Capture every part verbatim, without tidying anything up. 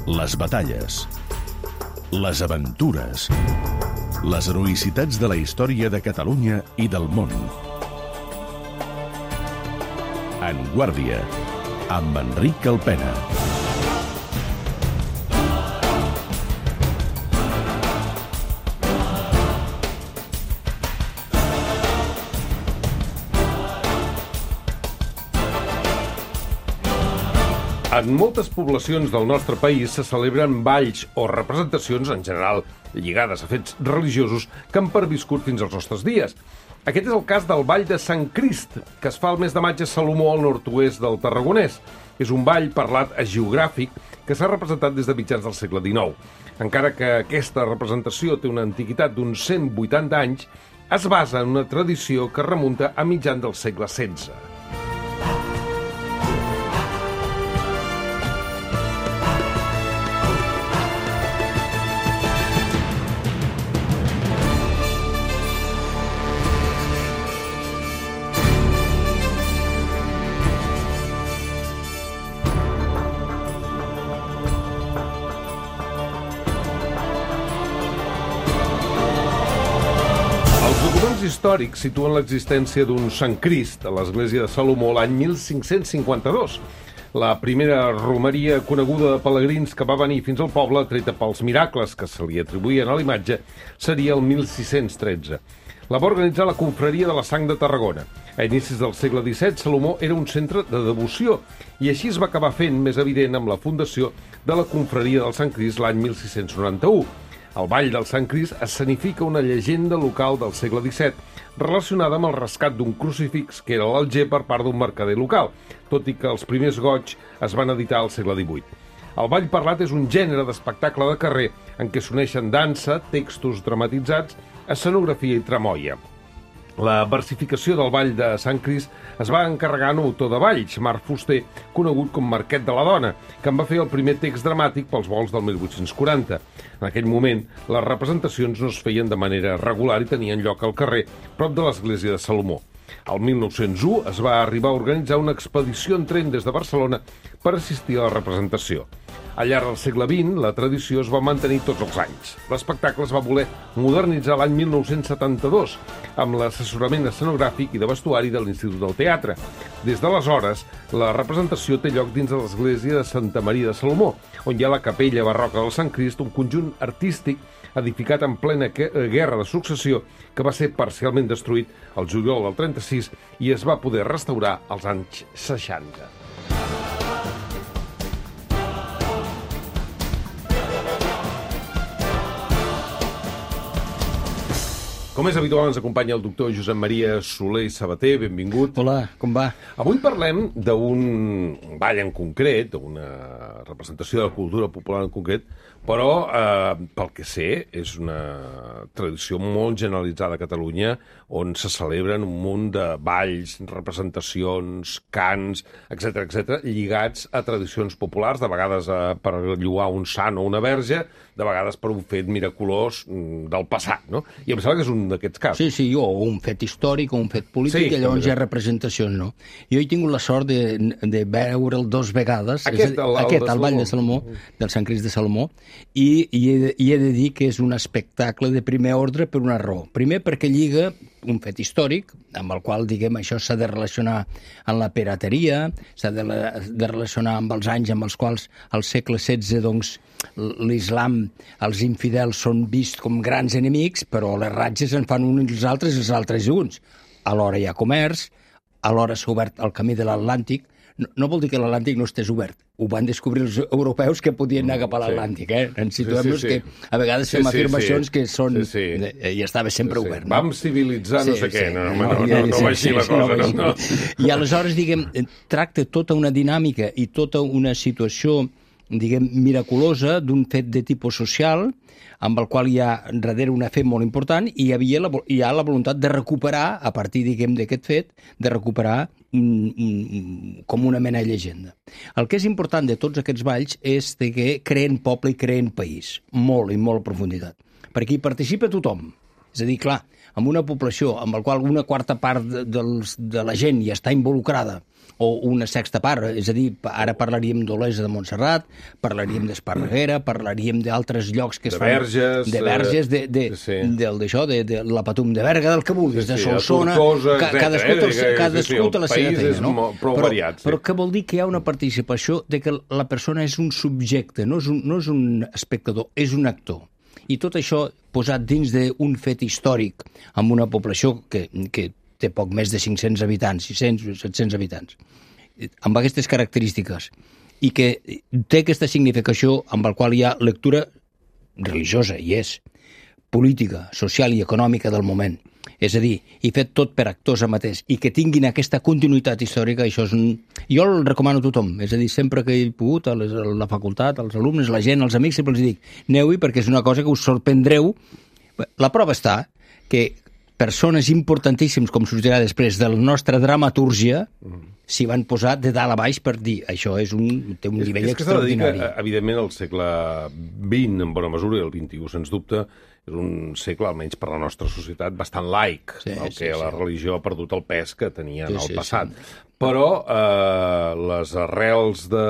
les batalles, les aventures, les heroïcitats de la història de Catalunya i del món. En Guàrdia, amb Enric Alpena. En moltes poblacions del nostre país se celebren balls o representacions, en general lligades a fets religiosos, que han perviscut fins als nostres dies. Aquest és el cas del Ball de Sant Crist, que es fa el mes de maig a Salomó, al nord-oest del Tarragonès. És un ball parlat geogràfic que s'ha representat des de mitjans del segle dinou. Encara que aquesta representació té una antiguitat d'uns cent vuitanta anys, es basa en una tradició que remunta a mitjan del segle setze. Històrics situen l'existència d'un Sant Crist a l'església de Salomó l'any mil cinc-cents cinquanta-dos. La primera romeria coneguda de pelegrins que va venir fins al poble, treta pels miracles que se li atribuïen a l'imatge, seria el mil sis-cents tretze. La va organitzar la confraria de la Sang de Tarragona. A inicis del segle disset, Salomó era un centre de devoció i així es va acabar fent més evident amb la fundació de la confraria del Sant Crist l'any mil sis-cents noranta-u. El Ball del Sant Crist escenifica una llegenda local del segle disset relacionada amb el rescat d'un crucifix que era l'Alger per part d'un mercader local, tot i que els primers goigs es van editar al segle divuit. El ball parlat és un gènere d'espectacle de carrer en què s'uneixen dansa, textos dramatitzats, escenografia i tramoia. La versificació del Ball de Sant Crist es va encarregar a un autor de balls, Marc Fuster, conegut com Marquet de la Dona, que en va fer el primer text dramàtic pels vols del mil vuit-cents quaranta. En aquell moment, les representacions no es feien de manera regular i tenien lloc al carrer, prop de l'església de Salomó. Al mil nou-cents u es va arribar a organitzar una expedició en tren des de Barcelona per assistir a la representació. Al llarg del segle vint, la tradició es va mantenir tots els anys. L'espectacle es va voler modernitzar l'any mil nou-cents setanta-dos, amb l'assessorament escenogràfic i de vestuari de l'Institut del Teatre. Des d'aleshores, la representació té lloc dins de l'església de Santa Maria de Salomó, on hi ha la capella barroca del Sant Crist, un conjunt artístic edificat en plena Guerra de Successió, que va ser parcialment destruït el juliol del trenta-sis i es va poder restaurar als anys seixanta. Com és habitual, ens acompanya el doctor Josep Maria Soler i Sabater. Benvingut. Hola, com va? Avui parlem d'un ball en concret, d'una representació de la cultura popular en concret, però, eh, pel que sé, és una tradició molt generalitzada a Catalunya, on se celebren un munt de balls, representacions, cants, etcètera, etcètera, lligats a tradicions populars, de vegades eh, per lloar un sant o una verge, de vegades per un fet miraculós del passat, no? I em sembla que és un d'aquests casos. Sí, sí, o un fet històric o un fet polític, sí, i llavors hi ha representacions, no? Jo he tingut la sort de, de veure'l dos vegades, aquest, el, aquest, el, el Ball de Salomó, del Sant Crist de Salomó, i, i, he de, i he de dir que és un espectacle de primer ordre per una raó. Primer, perquè lliga un fet històric, amb el qual, diguem, això s'ha de relacionar amb la pirateria, s'ha de, de relacionar amb els anys amb els quals al segle setze, doncs, l'islam, els infidels són vists com grans enemics, però les ratges en fan uns els altres i els altres uns. Alhora hi ha comerç, alhora s'ha obert el camí de l'Atlàntic. No, no vol dir que l'Atlàntic no estés obert. Ho van descobrir els europeus que podien anar cap a l'Atlàntic, eh? Ens situem-nos sí, sí, sí. que a vegades fem sí, afirmacions sí, sí. que són... Sí, sí. I estava sempre sí, sí. obert. No? Vam civilitzar no sí, sé sí, què. No, no, no, no, no va així la cosa. No, no. I aleshores, diguem, tracta tota una dinàmica i tota una situació, diguem, miraculosa d'un fet de tipus social, amb el qual hi ha darrere una fe molt important, i hi, havia la, hi ha la voluntat de recuperar, a partir, diguem, d'aquest fet, de recuperar un, un, com una mena de llegenda. El que és important de tots aquests balls és que creen poble i creen país, molt i molt a profunditat, perquè hi participa tothom, És a dir, clar, amb una població amb la qual una quarta part de, dels, de la gent ja està involucrada, o una sexta part, és a dir, ara parlaríem d'Olesa de Montserrat, parlaríem d'Esparreguera, parlaríem d'altres llocs que es de fan... Verges, de Verges, de, de, sí. del, d'això, de, de la Patum de Berga, del que vulguis, sí, de sí, Solsona, Tortosa, ca, cadascú, eh? té, cadascú sí, sí, té la seva feina, no? Molt, prou però, variat, sí. però què vol dir que hi ha una participació de que la persona és un subjecte, no és un, no és un espectador, és un actor. I tot això posat dins d'un fet històric amb una població que, que té poc més de cinc-cents habitants, sis-cents, set-cents habitants, amb aquestes característiques, i que té aquesta significació amb la qual hi ha lectura religiosa, i és, política, social i econòmica del moment. És a dir, i fet tot per actors amateurs, i que tinguin aquesta continuïtat històrica, això és un... Jo el recomano a tothom, és a dir, sempre que he pogut, a, les, a la facultat, als alumnes, a la gent, als amics, sempre els dic, aneu-hi perquè és una cosa que us sorprendreu. La prova està que persones importantíssims, com sortirà després, de la nostra dramatúrgia, s'hi van posar de dalt a baix per dir això és un, té un és, nivell és extraordinari. Que, evidentment, el segle vint, en bona mesura, i el vint-i-u, sens dubte, és un segle, almenys per la nostra societat, bastant laic, sí, el que sí, la sí. religió ha perdut el pes que tenia en sí, el sí, passat. Sí. Però eh, les arrels de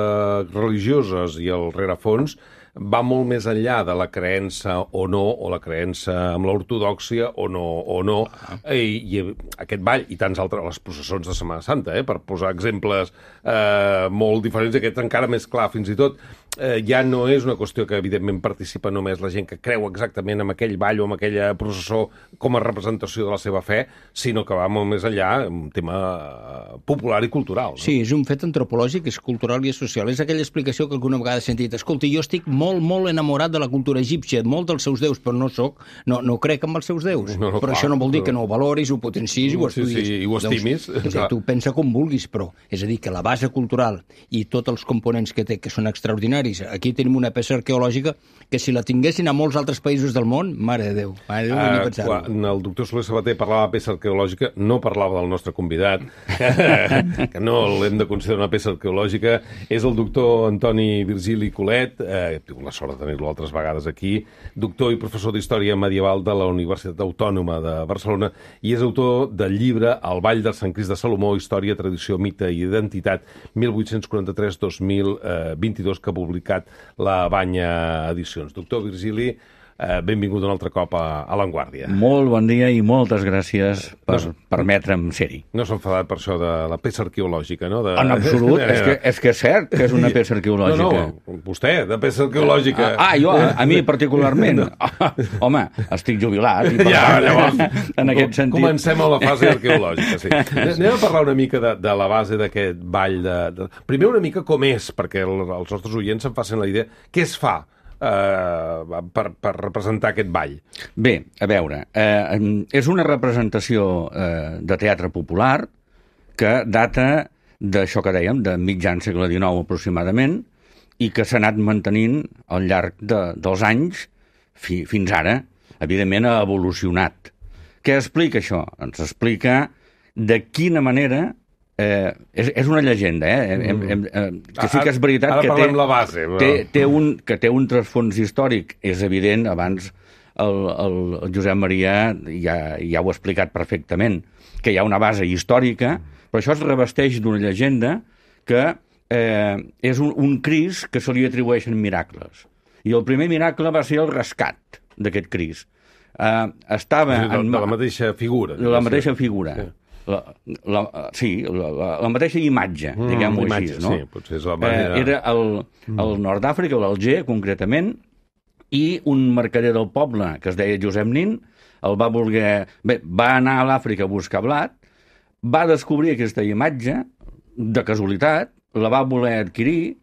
religioses i el rerefons va molt més enllà de la creença o no, o la creença amb l'ortodòxia o no, o no. Ah. I, i aquest ball, i tants altres, les processons de Setmana Santa, eh, per posar exemples eh, molt diferents, aquest encara més clar, fins i tot, eh, ja no és una qüestió que, evidentment, participa només la gent que creu exactament en aquell ball o en aquella processó com a representació de la seva fe, sinó que va molt més enllà, un tema popular i cultural. No? Sí, és un fet antropològic, és cultural i és social. És aquella explicació que alguna vegada he sentit. Escolta, jo estic molt molt, molt enamorat de la cultura egípcia, molt dels seus déus, però no soc, no, no crec en els seus déus. No, no, però clar, això no vol dir que no ho valoris, ho potencis i ho estudiis. Sí, sí, i ho estimis. Doncs, sí, tu pensa com vulguis, però és a dir, que la base cultural i tots els components que té, que són extraordinaris, aquí tenim una peça arqueològica que si la tinguessin a molts altres països del món, mare de Déu, mare de Déu, uh, ni pensar-ho. Quan el doctor Soler Sabater parlava de peça arqueològica, no parlava del nostre convidat, que no l'hem de considerar una peça arqueològica, és el doctor Antoni Virgili Colet, eh, la sort de tenir-lo altres vegades aquí, doctor i professor d'Història Medieval de la Universitat Autònoma de Barcelona i és autor del llibre El ball del Sant Crist de Salomó, Història, Tradició, Mite i Identitat, mil vuit-cents quaranta-tres a dos mil vint-i-dos, que ha publicat la Banya Edicions. Doctor Virgili, Eh, benvingut un altre cop a, a l'Avantguàrdia. Molt bon dia i moltes gràcies per no, permetre'm ser-hi. No s'ha enfadat per això de la peça arqueològica, no? De... En absolut, és, que, és que és cert que és una peça arqueològica. No, no, vostè, de peça arqueològica. Ah, ah jo, a, a mi particularment. Ah, home, estic jubilat. I per ja, tant, llavors, en aquest sentit... Comencem a la fase arqueològica, sí. Anem a parlar una mica de, de la base d'aquest ball. De, de... Primer una mica com és, perquè el, els nostres oients se'n facin la idea. Què es fa? Uh, per, per representar aquest ball? Bé, a veure, eh, és una representació eh, de teatre popular que data d'això que dèiem, de mitjan segle dinou aproximadament, i que s'ha anat mantenint al llarg de, dels anys fi, fins ara. Evidentment ha evolucionat. Què explica això? Ens explica de quina manera... Eh, és, és una llegenda, eh? Hem, hem, eh que sí que és veritat ara que, parlem té, la base, té, té un, que té un trasfons històric, és evident, abans el, el, el Josep Maria ja, ja ho ha explicat perfectament, que hi ha una base històrica, però això es revesteix d'una llegenda que eh, és un, un Crist que se li atribueixen miracles. I el primer miracle va ser el rescat d'aquest Crist. Eh, estava... De, en, de la mateixa figura. De la mateixa figura. Sí. La, la, sí, la, la, la mateixa imatge, mm, diguem-ho així, no? Sí, potser és la manera... Eh, era el, el nord d'Àfrica, l'Alger, concretament, i un mercader del poble, que es deia Josep Nin, el va voler... Bé, va anar a l'Àfrica a buscar blat, va descobrir aquesta imatge, de casualitat, la va voler adquirir,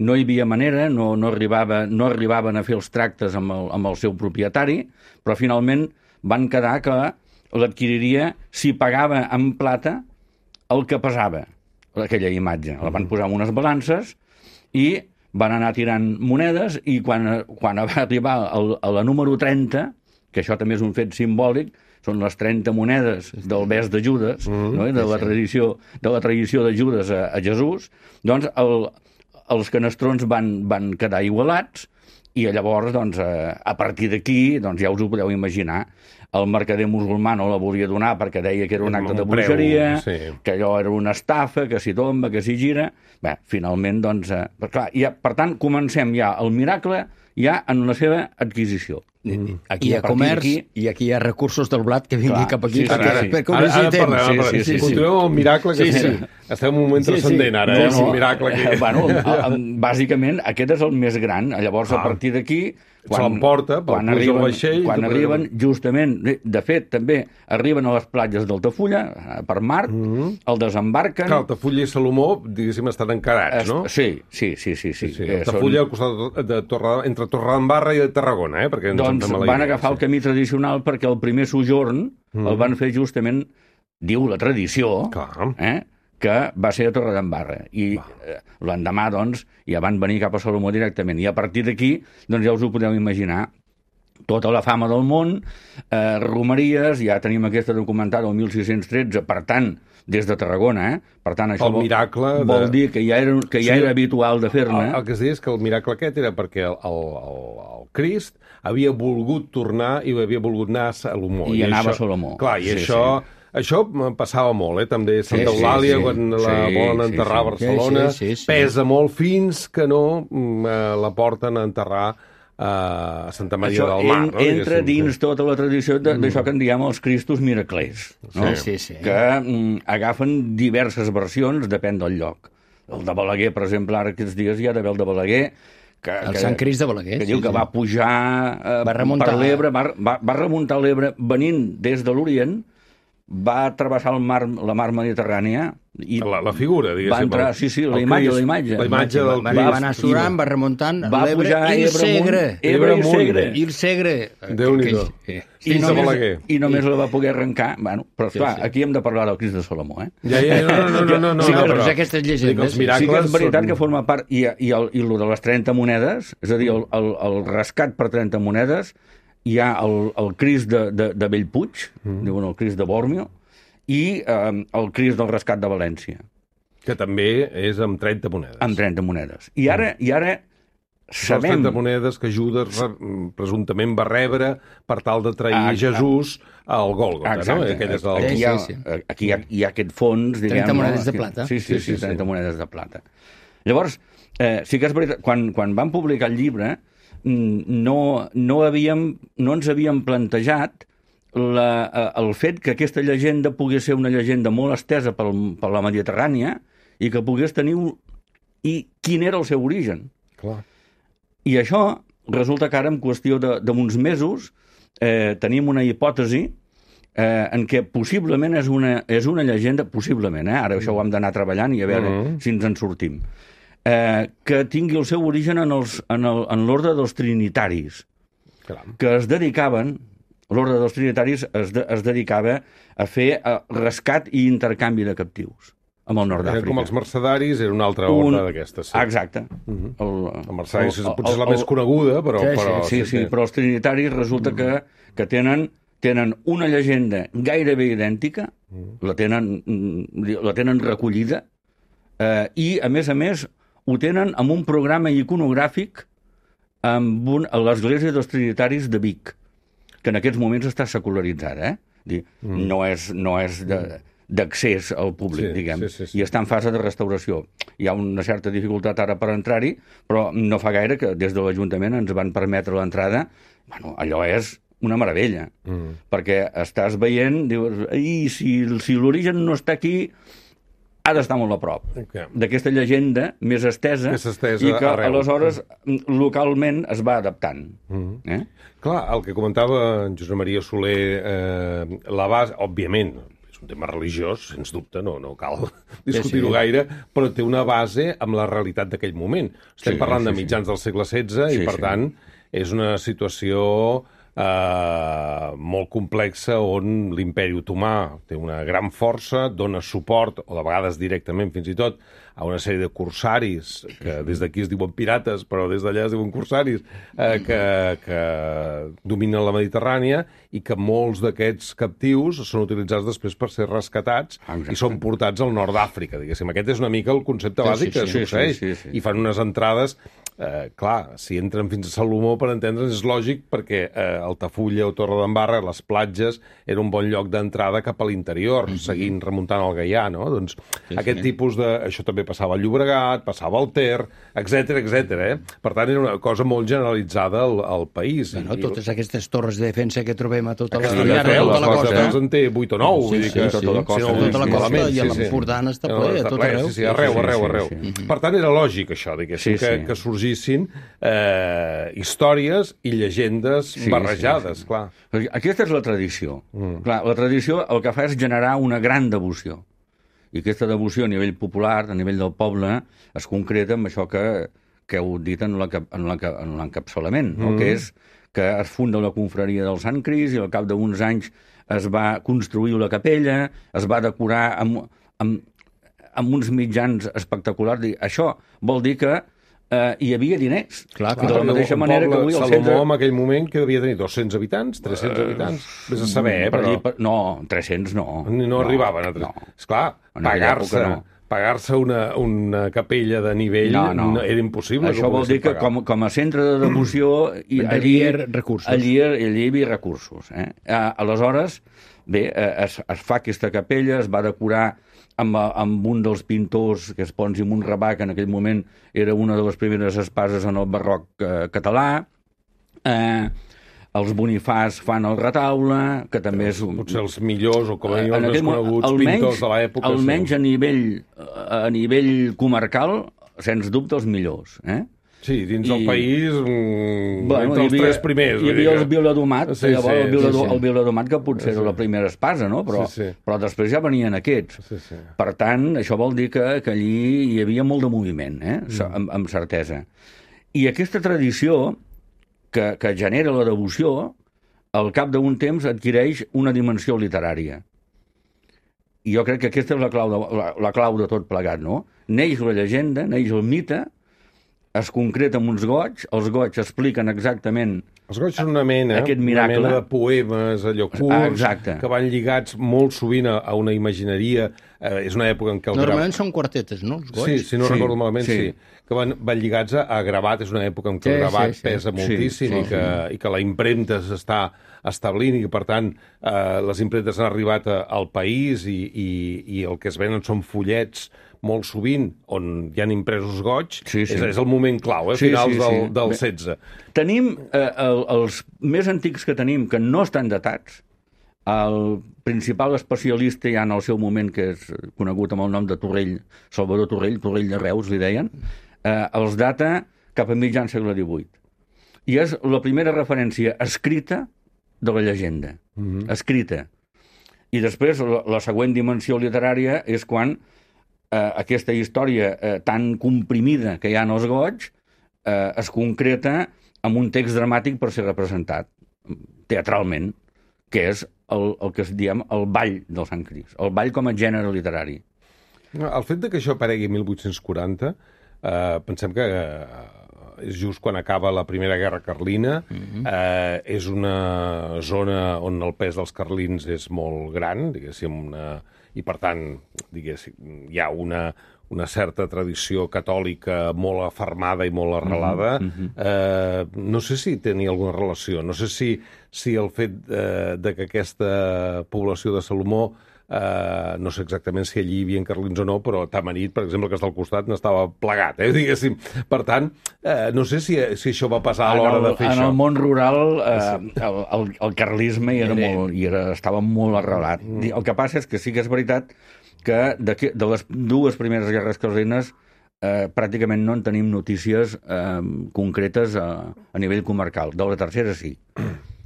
no hi havia manera, no, no, arribava, no arribaven a fer els tractes amb el, amb el seu propietari, però finalment van quedar que l'adquiriria si pagava en plata el que pesava aquella imatge. La van posar en unes balances i van anar tirant monedes i quan, quan va arribar el, a la número trenta, que això també és un fet simbòlic, són les trenta monedes del bes de Judes, mm-hmm. no? de, la tradició, de la tradició de Judes a, a Jesús, doncs el, els canestrons van, van quedar igualats i llavors, doncs, a partir d'aquí, doncs, ja us ho podeu imaginar, el mercader musulmà no la volia donar perquè deia que era un acte de bruixeria, sí. que allò era una estafa, que s'hi tomba, que s'hi gira... Bé, finalment, doncs... Eh, per, clar, ja, per tant, comencem ja el miracle ja en la seva adquisició. Mm. Aquí hi ha comerç aquí... i aquí hi ha recursos del blat que vingui clar, cap aquí. Sí, sí, perquè, sí. perquè ara, ara parlem, sí, sí, sí, sí, continuem amb el miracle, que sí, sí. Sí. Estem en un moment transcendent ara, sí, sí. eh? No, un miracle aquí. Bueno, bàsicament, aquest és el més gran. Llavors, ah. a partir d'aquí... Quan, se l'emporta, quan arriben, vaixell, quan arriben justament, de fet, també arriben a les platges d'Altafulla, per mar, mm-hmm. el desembarquen... Que Altafulla i Salomó, diguéssim, estan encarats, no? Sí, sí, sí. sí, sí. sí, sí. Altafulla són... al costat de Torre, entre Torredembarra i Tarragona, eh? Perquè doncs van idea, agafar sí. el camí tradicional perquè el primer sojorn mm. el van fer justament, diu la tradició, eh? que va ser a Torredembarra. I eh, l'endemà, doncs, ja van venir cap a Salomó directament. I a partir d'aquí, doncs ja us ho podeu imaginar, tota la fama del món, eh, romeries, ja tenim aquesta documentada el mil sis-cents tretze, per tant, des de Tarragona, eh? Per tant, això el vol, miracle vol de... dir que ja era, que ja sí, era habitual de fer-ne. El, el que es deia és que el miracle aquest era perquè el, el, el, el Crist havia volgut tornar i havia volgut anar a Salomó. I, I anava això, a Salomó. Clar, i sí, això... Sí. Això passava molt, eh? També Santa sí, Eulàlia, sí, sí. quan la sí, volen enterrar sí, sí. a Barcelona, sí, sí, sí, sí. pesa molt fins que no eh, la porten a enterrar a Santa Maria això del Mar. En, no? Entra dins tota la tradició d'això mm. que en diem els Cristos miraclers, no? sí, sí, sí. que mm, agafen diverses versions, depèn del lloc. El de Balaguer, per exemple, ara aquests dies hi ha d'haver el de Balaguer, que, el que, Sant Crist de Balaguer. Que sí, diu que sí. va pujar eh, va remuntar. per l'Ebre, va, va, va remuntar l'Ebre venint des de l'Orient, va travessar el mar, la mar Mediterrània i la, la figura, diguéssim. Va entrar, sí, sí, la imatge, la imatge. La imatge del Crist. Va anar surant, va remuntant l'Ebre i el Segre. Ebre i el Segre. I el Segre. Déu-n'hi-do. I només, I només la va poder arrencar. Bueno, però, esclar, sí, sí. aquí hem de parlar del Crist de Salomó, eh? Ja, ja, no, no, no, no, no, sí, no, però, però aquestes llegendes... Sí que és veritat són... que forma part... I, i, el, i el de les trenta monedes, és a dir, el, el, el rescat per trenta monedes, hi ha el, el Crist de, de, de Bellpuig, mm. diuen el Crist de Bòrmio, i eh, el Crist del Rescat de València. Que també és amb trenta monedes. Amb trenta monedes. I ara, mm. i ara sabem... trenta monedes que Judes presumptament va rebre per tal de trair ah, Jesús al Gòlgota, no? Aquell és el... Aquí, hi ha, sí, sí. aquí hi ha, hi ha aquest fons, diguem... trenta monedes de plata. Sí, sí, sí, sí, sí trenta sí. monedes de plata. Llavors, eh, sí que és veritat, quan, quan van publicar el llibre, no, no, havíem, no ens havíem plantejat La, el fet que aquesta llegenda pogués ser una llegenda molt estesa per, per la Mediterrània i que pogués tenir un... i quin era el seu origen. Clar. I això resulta que ara, en qüestió d'uns mesos, eh, tenim una hipòtesi eh, en què possiblement és una, és una llegenda, possiblement, eh? Ara això ho hem d'anar treballant i a veure uh-huh. si ens en sortim, eh, que tingui el seu origen en l'ordre dels trinitaris, Clar. que es dedicaven... L'ordre dels trinitaris es, de, es dedicava a fer uh, rescat i intercanvi de captius amb el nord d'Àfrica. Com els mercedaris, era una altra ordre un... d'aquestes. Sí. Exacte. Uh-huh. El, el mercedaris el, potser és la el, més coneguda, però... Sí, però, sí, sí, sí, sí, però els trinitaris resulta uh-huh. que, que tenen, tenen una llegenda gairebé idèntica, uh-huh. la, tenen, la tenen recollida, eh, i, a més a més, ho tenen amb un programa iconogràfic amb un, a l'església dels trinitaris de Vic, que en aquests moments està secularitzada, eh? Dir, mm. No és, no és d'accés al públic, sí, diguem, sí, sí, sí. i està en fase de restauració. Hi ha una certa dificultat ara per entrar-hi, però no fa gaire que des de l'Ajuntament ens van permetre l'entrada. Bueno, allò és una meravella, mm. perquè estàs veient, dius, i si, si l'origen no està aquí, ha d'estar molt a prop okay. d'aquesta llegenda més estesa, estesa i que arreu. aleshores localment es va adaptant. Mm. Eh? Clar, el que comentava en Josep Maria Soler, eh, la base, òbviament, és un tema religiós, sens dubte, no, no cal discutir-ho sí, sí. gaire, però té una base amb la realitat d'aquell moment. Estem sí, parlant sí, de mitjans sí. del segle setze sí, i, per sí. tant, és una situació eh, molt complexa on l'imperi otomà té una gran força, dona suport, o de vegades directament fins i tot, a una sèrie de corsaris, que des d'aquí es diuen pirates, però des d'allà es diuen corsaris, eh, que, que dominen la Mediterrània i que molts d'aquests captius són utilitzats després per ser rescatats Exacte. i són portats al nord d'Àfrica, diguéssim. Aquest és una mica el concepte bàsic sí, sí, que sí, succeeix. Sí, sí, sí. I fan unes entrades... eh, clar, si entren fins a Salomó, per entendre's, és lògic perquè eh, Altafulla o Torredembarra, les platges, era un bon lloc d'entrada cap a l'interior, mm -hmm. seguint remuntant el Gaià, no? Doncs sí, aquest sí. tipus de... Això també passava al Llobregat, passava al Ter, etcètera, etcètera, eh? Per tant, era una cosa molt generalitzada al, al país. Bueno, I, totes aquestes torres de defensa que trobem a tota la, sí, llarga, sí, tota la costa. costa. Doncs en té vuit o nou. Sí, vull dir sí, que, sí, tota la costa, si no, tota la costa sí, i a sí, l'Empordà està no, ple, a tot arreu. Sí, sí, arreu, arreu, arreu. Sí, sí, sí. Per tant, era lògic això, diguéssim, sí, sí. Que, que sorgissin eh, històries i llegendes sí, barrejades, sí, sí. clar. Aquesta és la tradició. Mm. Clar, la tradició el que fa és generar una gran devoció. I aquesta devoció a nivell popular, a nivell del poble, es concreta amb això que, que heu dit en l'encapçalament, no? Mm. Que és que es funda la confraria del Sant Crist i al cap d'uns anys es va construir la capella, es va decorar amb, amb, amb uns mitjans espectaculars. Això vol dir que eh, hi havia diners. Clar, clar, de la mateixa manera que avui el Salomó centre... en aquell moment que devia tenir dos-cents habitants, tres-cents uh, habitants, vés a saber, eh, però... Per, no, tres-cents no. No, no arribaven a tres. No. Esclar, pagar-se... No. Pagar-se una, una capella de nivell no, no. era impossible. Això vol dir que com, com a centre de devoció i allí, recursos. allí, allí hi havia recursos. Eh? Aleshores, bé, es, es fa aquesta capella, es va decorar amb, amb un dels pintors, que és Pons i Montrabà, que en aquell moment era una de les primeres espases en el barroc eh, català. Eh, els Bonifàs fan el retaule, que també és... Un... Potser els millors, o com a mínim els més coneguts almenys, pintors de l'època. Almenys sí. a, nivell, a nivell comarcal, sens dubte els millors. Eh? Sí, dins I... del país, mm, bueno, entre els havia, tres primers. Hi havia el Viladomat, sí, llavors sí, el, Viladom, sí, sí. el Viladomat, que potser sí, sí. era la primera espasa, no? Però, sí, sí. però després ja venien aquests. Sí, sí. Per tant, això vol dir que, que allí hi havia molt de moviment, eh? mm. amb, amb certesa. I aquesta tradició que, que genera la devoció, al cap d'un temps adquireix una dimensió literària. I jo crec que aquesta és la clau de, la, la clau de tot plegat, no? Neix la llegenda, neix el mite, es concreta amb uns goigs, els goigs expliquen exactament els goigs són una mena, una mena de poemes, allò curts, ah, que van lligats molt sovint a, a una imagineria. Eh, és una època en què... El Normalment gra... són quartetes, no? Els goigs? Sí, si no sí, recordo malament, sí. sí. Que van, van lligats a, a gravat, és una època en què sí, el gravat sí, sí. pesa moltíssim sí, sí, i, que, sí. i que la impremta s'està establint i que, per tant, eh, les impremtes han arribat a, al país i, i, i el que es venen són fullets molt sovint, on hi ha impresos goigs, sí, sí. És, és el moment clau, eh, sí, finals sí, sí. del, del setze. Tenim eh, el, els més antics que tenim, que no estan datats. El principal especialista ja en el seu moment, que és conegut amb el nom de Torrell, Salvador Torrell, Torrell de Reus, li deien, eh, els data cap a mitjan segle divuit. I és la primera referència escrita de la llegenda. Mm-hmm. Escrita. I després, la, la següent dimensió literària és quan eh, aquesta història eh, tan comprimida que hi ha en els goigs eh, es concreta amb un text dramàtic per ser representat teatralment, que és el, el que es diem el ball del Sant Crist, el ball com a gènere literari. El fet de que això aparegui mil vuit-cents quaranta, eh, pensem que eh, és just quan acaba la Primera Guerra Carlina, mm-hmm. eh, és una zona on el pes dels carlins és molt gran, diguéssim, una, i per tant, diguéssim, hi ha una, una certa tradició catòlica molt afermada i molt arrelada. Mm-hmm. eh, no sé si tenia alguna relació, no sé si, si el fet eh, de que aquesta població de Salomó Uh, no sé exactament si allí hi havia carlins o no, però Tamarit, per exemple, que està al costat, n'estava plegat, eh, diguéssim. Per tant, uh, no sé si, si això va passar a l'hora de fer en això. En el món rural, uh, el, el, el carlisme hi era molt, hi era, estava molt arrelat. Mm. El que passa és que sí que és veritat que de, de les dues primeres guerres carlines uh, pràcticament no en tenim notícies uh, concretes a, a nivell comarcal. De la tercera sí.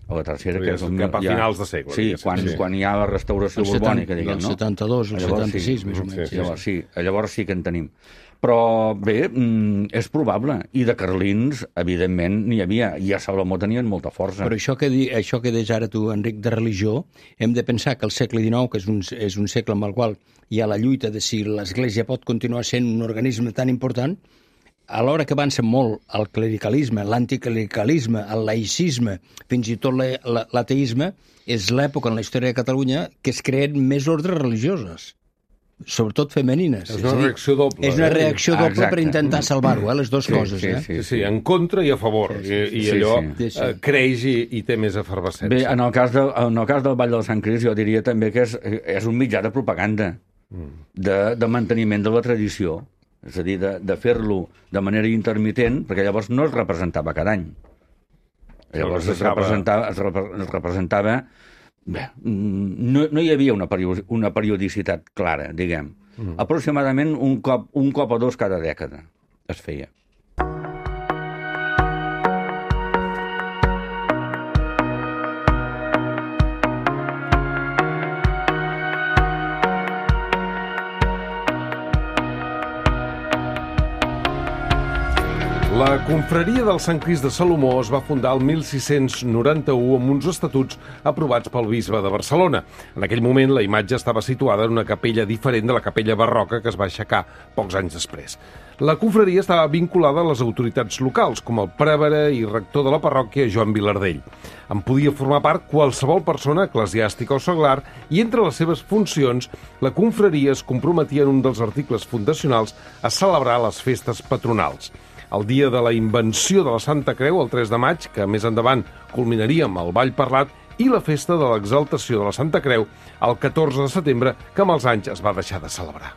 A la tercera, que és un, cap a ja, finals de segle. Sí, quan, sí, quan hi ha la restauració borbònica, diguem, no? El setanta-dos, el setanta-sis, més o menys. Sí, llavors, sí, llavors sí que en tenim. Però, bé, és probable. I de carlins, evidentment, n'hi havia. I a Salomó tenien molta força. Però això que, di, això que deies ara tu, Enric, de religió, hem de pensar que el segle dinou, que és un, és un segle amb el qual hi ha la lluita de si l'Església pot continuar sent un organisme tan important, alhora que avança molt el clericalisme, l'anticlericalisme, el laïcisme, fins i tot l'ateisme, és l'època en la història de Catalunya que es creen més ordres religioses. sobretot femenines. És una reacció doble. És una reacció eh? doble Ah, per intentar salvar-ho, eh? Les dues Sí, coses. sí, eh? sí. Sí, sí, en contra i a favor. Sí, sí, I, i sí, allò sí. Sí, sí. eh, creix i, i té més efervescència. Bé, en el cas, de, en el cas del Ball del Sant Crist jo diria també que és, és un mitjà de propaganda, de, de manteniment de la tradició, és a dir, de, de fer-lo de manera intermitent, perquè llavors no es representava cada any. Llavors es representava, es, repre, es representava bé, no, no hi havia una, periodi, una periodicitat clara, diguem. Mm. Aproximadament un cop, un cop o dos cada dècada es feia. La confraria del Sant Crist de Salomó es va fundar el mil sis-cents noranta-u amb uns estatuts aprovats pel bisbe de Barcelona. En aquell moment la imatge estava situada en una capella diferent de la capella barroca que es va aixecar pocs anys després. La confraria estava vinculada a les autoritats locals, com el prevere i rector de la parròquia Joan Vilardell. En podia formar part qualsevol persona eclesiàstica o seglar i entre les seves funcions la confraria es comprometia en un dels articles fundacionals a celebrar les festes patronals. El dia de la invenció de la Santa Creu, el tres de maig, que més endavant culminaria amb el ball parlat, i la festa de l'exaltació de la Santa Creu, el catorze de setembre, que amb els anys es va deixar de celebrar.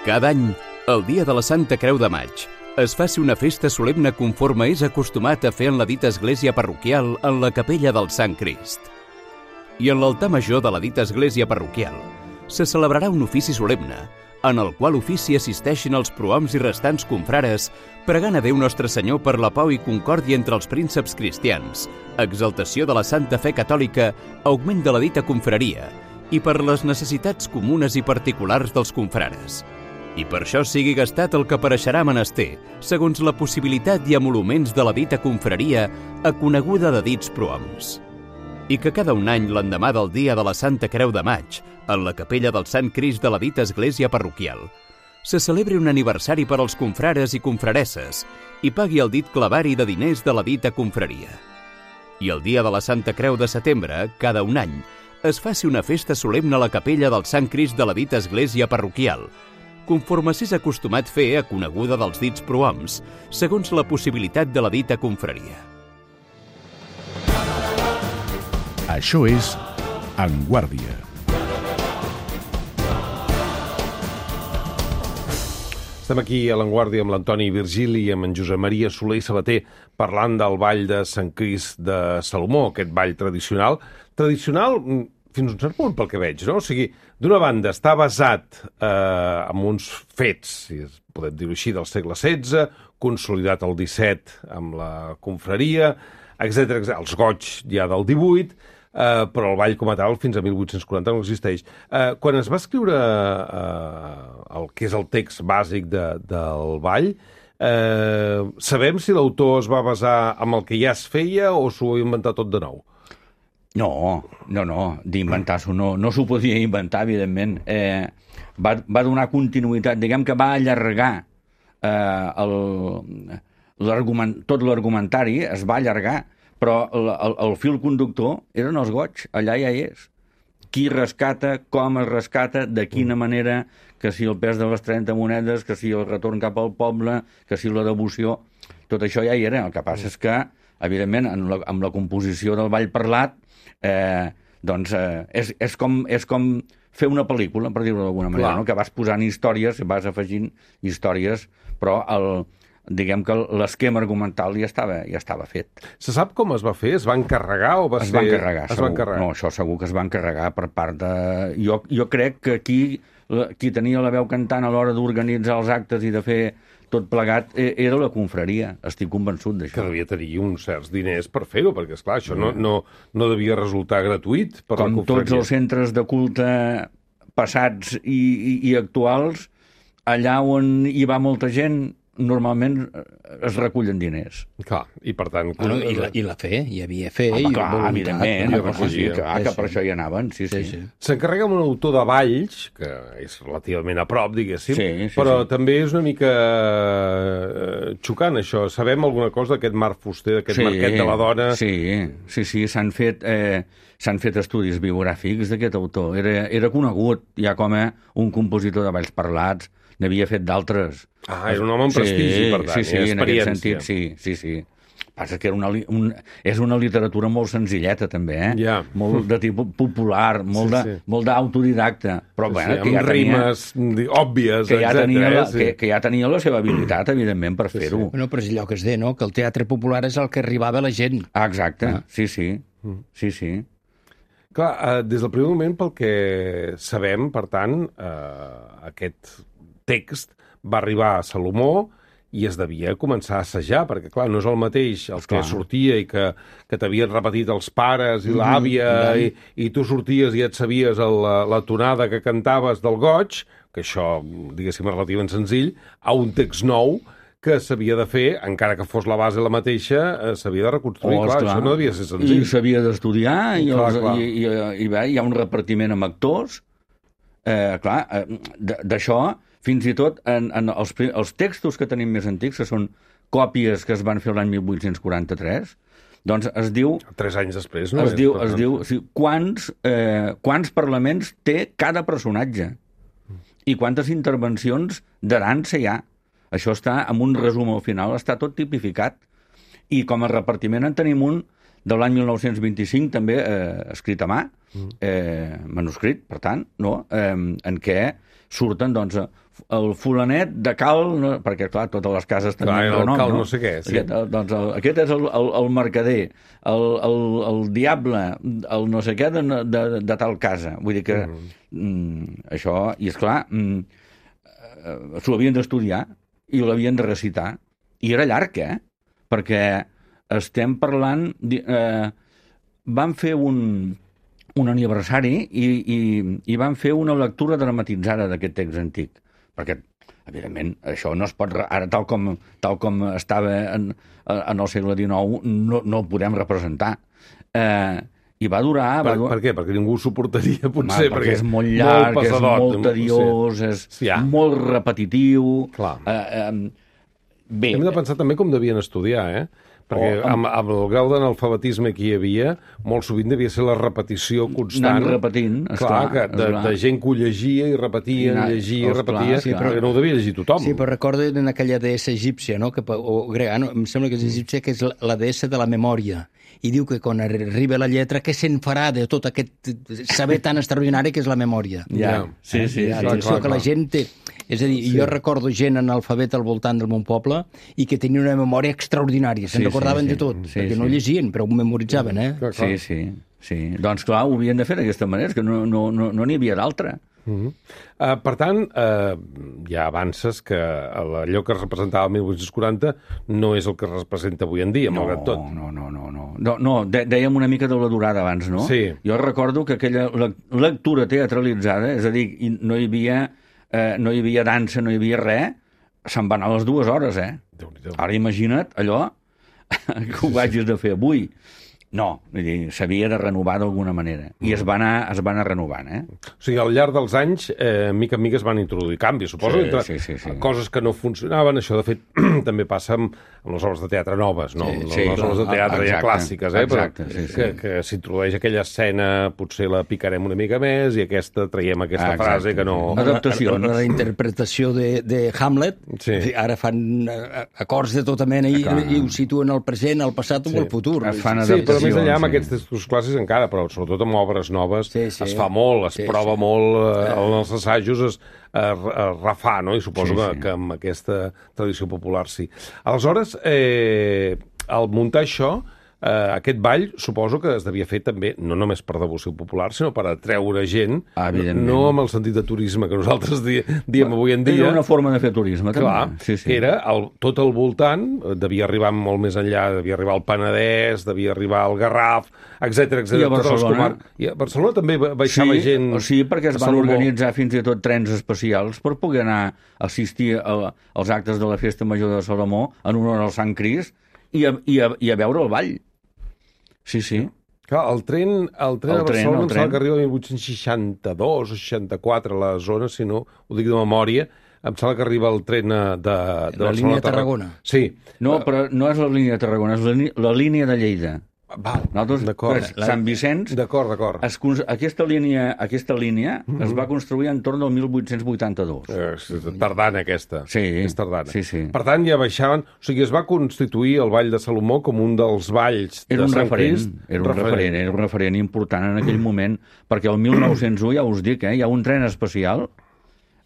Cada any, el dia de la Santa Creu de maig, es faci una festa solemne conforme és acostumat a fer en la dita església parroquial en la capella del Sant Crist. I en l'altar major de la dita església parroquial se celebrarà un ofici solemne, en el qual ofici assisteixen els prohoms i restants confrares, pregant a Déu Nostre Senyor per la pau i concòrdia entre els prínceps cristians, exaltació de la santa fe catòlica, augment de la dita confraria, i per les necessitats comunes i particulars dels confrares. I per això sigui gastat el que apareixerà menester, segons la possibilitat i emoluments de la dita confraria, aconeguda de dits prohoms. I que cada un any, l'endemà del dia de la Santa Creu de maig, en la capella del Sant Crist de la dita església parroquial, se celebri un aniversari per als confrares i confraresses i pagui el dit clavari de diners de la dita confraria. I el dia de la Santa Creu de setembre, cada un any, es faci una festa solemne a la capella del Sant Crist de la dita església parroquial, conforme s'és acostumat fer aconeguda dels dits prohoms, segons la possibilitat de la dita confraria. Això és En Guàrdia. Estem aquí a l'Enguàrdia amb l'Antoni Virgili i amb en Josep Maria Soler i Sabater parlant del ball de Sant Crist de Salomó, aquest ball tradicional. Tradicional fins a un cert punt pel que veig, no? O sigui, d'una banda està basat eh, en uns fets, si podem dir-ho així, del segle setze, consolidat el disset amb la confraria, etcètera, etcètera. Els goigs ja del divuit, eh, però el ball com a tal fins a mil vuit-cents quaranta no existeix. Eh, quan es va escriure eh, el que és el text bàsic de, del ball, eh, sabem si l'autor es va basar en el que ja es feia o s'ho ha inventat tot de nou? No, no, no, d'inventar-s'ho no, no s'ho podia inventar, evidentment. Eh, va, va donar continuïtat, diguem que va allargar eh, el, l'argument, tot l'argumentari es va allargar, però el, el, el fil conductor eren els goigs, allà ja hi és. Qui rescata, com es rescata, de quina manera, que si el pes de les trenta monedes, que si el retorn cap al poble, que si la devoció, tot això ja hi era. El que passa és que, evidentment, en la, amb la composició del ball parlat, eh, doncs eh, és, és, com, és com fer una pel·lícula, per dir-ho d'alguna manera, no? Que vas posant històries, vas afegint històries, però el, diguem que l'esquema argumental ja estava, ja estava fet. Se sap com es va fer? Es va encarregar o va es ser... va encarregar, es segur. va encarregar. No, això segur que es va encarregar per part de... Jo, jo crec que aquí qui tenia la veu cantant a l'hora d'organitzar els actes i de fer tot plegat era la confraria, estic convençut d'això. Que devia tenir uns certs diners per fer-ho, perquè, esclar, això no, no, no devia resultar gratuït per Com la confraria. tots els centres de culte passats i, i, i actuals, allà on hi va molta gent, normalment es recullen diners. Clar, i per tant... Bueno, i, la, I la fe, hi havia fe Home, i clar, voluntat. evidentment, no? sí, sí, clar, Sí, que sí. per això hi anaven, sí, sí. Sí, sí. S'encarrega amb un autor de Valls, que és relativament a prop, diguéssim, Sí, sí, però sí. també és una mica eh, xocant, això. Sabem alguna cosa d'aquest Marc Fuster, d'aquest Sí, Marquet de la Dona? Sí, sí, sí, s'han fet, eh, s'han fet estudis biogràfics d'aquest autor. Era, era conegut ja com a un compositor de balls parlats, n'havia fet d'altres. Ah, era un home amb prestigi, per tant, sí, sí, i en aquest experiència. sentit, sí, sí, sí. Passa que era una, li- un, és una literatura molt senzilleta, també, eh? Ja. Molt de tipus popular, molt Sí, de- sí. molt d'autodidacta, però Sí, bueno, sí, que ja amb tenia... rimes di- òbvies, que ja, etcètera, tenia la, eh? Sí. que, que ja tenia la seva habilitat, evidentment, per fer-ho. Bueno, però és allò que es deia, no?, que el teatre popular és el que arribava a la gent. Ah, exacte, Ah. sí, sí, Mm. sí, sí. Clar, eh, des del primer moment, pel que sabem, per tant, eh, aquest text va arribar a Salomó i es devia començar a assajar, perquè, clar, no és el mateix el que Esclar. sortia i que, que t'havien repetit els pares i l'àvia i, i tu sorties i et sabies el, la, la tonada que cantaves del goig, que això, diguéssim, és relativament senzill, a un text nou que s'havia de fer, encara que fos la base la mateixa, eh, s'havia de reconstruir. Oh, clar, esclar. això no devia ser I senzill. s'havia d'estudiar, i, Clar, els, clar. i, i, i bé, hi ha un repartiment amb actors. Eh, clar, eh, d- d'això, fins i tot en, en els, pri- els textos que tenim més antics, que són còpies que es van fer l'any mil vuit-cents quaranta-tres, doncs es diu... Tres anys després, no? Es és, diu, per es tant. diu o sigui, quants, eh, quants parlaments té cada personatge i quantes intervencions de dansa hi ha. Això està, amb un resum al final, està tot tipificat. I com a repartiment en tenim un de l'any mil nou-cents vint-i-cinc, també eh, escrit a mà, eh, manuscrit, per tant, no? eh, en què surten, doncs, el fulanet de cal, no? Perquè, clar, totes les cases Clar, tenien el renom, cal no? no sé què, sí. Aquest, el, doncs, el, aquest és el, el, el mercader, el, el, el diable, el no sé què de, de, de tal casa. Vull dir que mm. Mm, això, i esclar, mm, eh, s'ho havien d'estudiar i l'havien de recitar. I era llarg, eh? Perquè estem parlant... di- Eh, van fer un, un aniversari i, i, i van fer una lectura dramatitzada d'aquest text antic. Perquè, evidentment, això no es pot... re- Ara, tal com, tal com estava en, en el segle dinou, no, no ho podem representar. Eh, I va durar... Per, va durar... per què? Perquè ningú ho suportaria, potser. Home, perquè és molt llarg, molt és pesadot, molt tediós, és Sí, ja. molt repetitiu. Clar. Eh, eh, bé, Hem de pensar també com devien estudiar, eh? Perquè O amb, amb- amb el grau d'analfabetisme que hi havia, molt sovint devia ser la repetició constant. Anant repetint, Clar, esclar, que de, esclar. de gent que ho llegia i repetia, Anar- llegia i esclar, repetia, sí, però- perquè no ho devia llegir tothom. Sí, però recordo en aquella deessa egípcia, no? Que, pa- o grega, no? Em sembla que és egípcia, que és la, la deessa de la memòria. I diu que quan arriba la lletra, què se'n farà de tot aquest saber tan extraordinari que és la memòria? Ja, sí, sí, Eh? sí. Atenció, clar, que la clar. gent té... És a dir, sí. Jo recordo gent analfabeta al voltant del meu poble i que tenien una memòria extraordinària, se'n Sí, recordaven sí, de sí. tot, Sí, perquè sí. no llegien, però ho memoritzaven, eh? Clar, clar. Sí, sí, sí. Doncs clar, ho havien de fer d'aquesta manera, és que no n'hi no, no, no n'hi havia d'altra. Uh -huh. uh, per tant, uh, ja avances que allò que es representava el mil vuit-cents quaranta no és el que es representa avui en dia, No, malgrat tot. no, no, no, no. No, no de, dèiem una mica de la durada abans, no? Sí. Jo recordo que aquella lec- lectura teatralitzada, és a dir, i no hi havia, eh, no hi havia dansa, no hi havia res, se'n va anar a les dues hores, eh? Déu-n'hi-do. Ara imagina't allò que ho hagis de fer avui. No, vull dir, s'havia de renovar d'alguna manera. I es va anar, es va anar renovant, eh? O sigui, al llarg dels anys, eh, mica en mica es van introduir canvis, suposo, Sí, entre sí, sí, sí. coses que no funcionaven. Això, de fet, també passa amb, amb les obres de teatre noves, no? Sí, Amb sí, les clar. obres de teatre ja Exacte, clàssiques, eh? exacte, Però sí, sí. que, que s'introdueix aquella escena, potser la picarem una mica més, i aquesta traiem aquesta Ah, exacte, frase que no... sí. Adaptacions. La, la interpretació de, de Hamlet, Sí. ara fan eh, acords de tota mena i, Clar. i ho situen al present, al passat Sí. o al futur. Es fan Sí, però més adaptacions, allà amb sí. aquests textos clàssics encara, però sobretot amb obres noves, Sí, sí. es fa molt, es Sí, prova sí. molt, eh, en els assajos es, es, es refà, no? I suposo Sí, que, sí. que amb aquesta tradició popular sí. Aleshores, eh, al muntar això, eh, aquest ball suposo que es devia fer també, no només per devoció popular, sinó per atreure gent, Ah, evidentment. no amb el sentit de turisme que nosaltres di diem avui en dia. Era una forma de fer turisme, també. Clar, sí, sí. que era el, tot al voltant, eh, devia arribar molt més enllà, devia arribar al Penedès, devia arribar al Garraf, etcètera, etcètera. I a Barcelona. I a Barcelona també baixava sí, gent... O sigui, perquè es a van Salomó. organitzar fins i tot trens especials per poder anar a assistir a, als actes de la Festa Major de Salomó en honor al Sant Crist i a, i a, i a veure el ball. Sí, sí. Clar, el tren, el tren El a tren, Barcelona el em sembla tren. que arriba a mil vuit-cents seixanta-dos o seixanta-quatre a la zona, si no ho dic de memòria, em sembla que arriba el tren eh, de, de La Barcelona línia a Tarragona. Sí. No, però no és la línia de Tarragona, és la, ní- la línia de Lleida. Val, Nosaltres, d'acord. pues, Sant Vicenç, D'acord, d'acord. es, cons- aquesta línia, aquesta línia Mhm. es va construir entorn del mil vuit-cents vuitanta-dos. Eh, és tardana, aquesta. Sí, És tardana. sí, sí. Per tant, ja baixaven... O sigui, es va constituir el Ball de Salomó com un dels balls Era de un Sant referent, Crist. era un referent, era un referent important en aquell moment, perquè el mil nou-cents u, ja us dic, eh, hi ha un tren especial,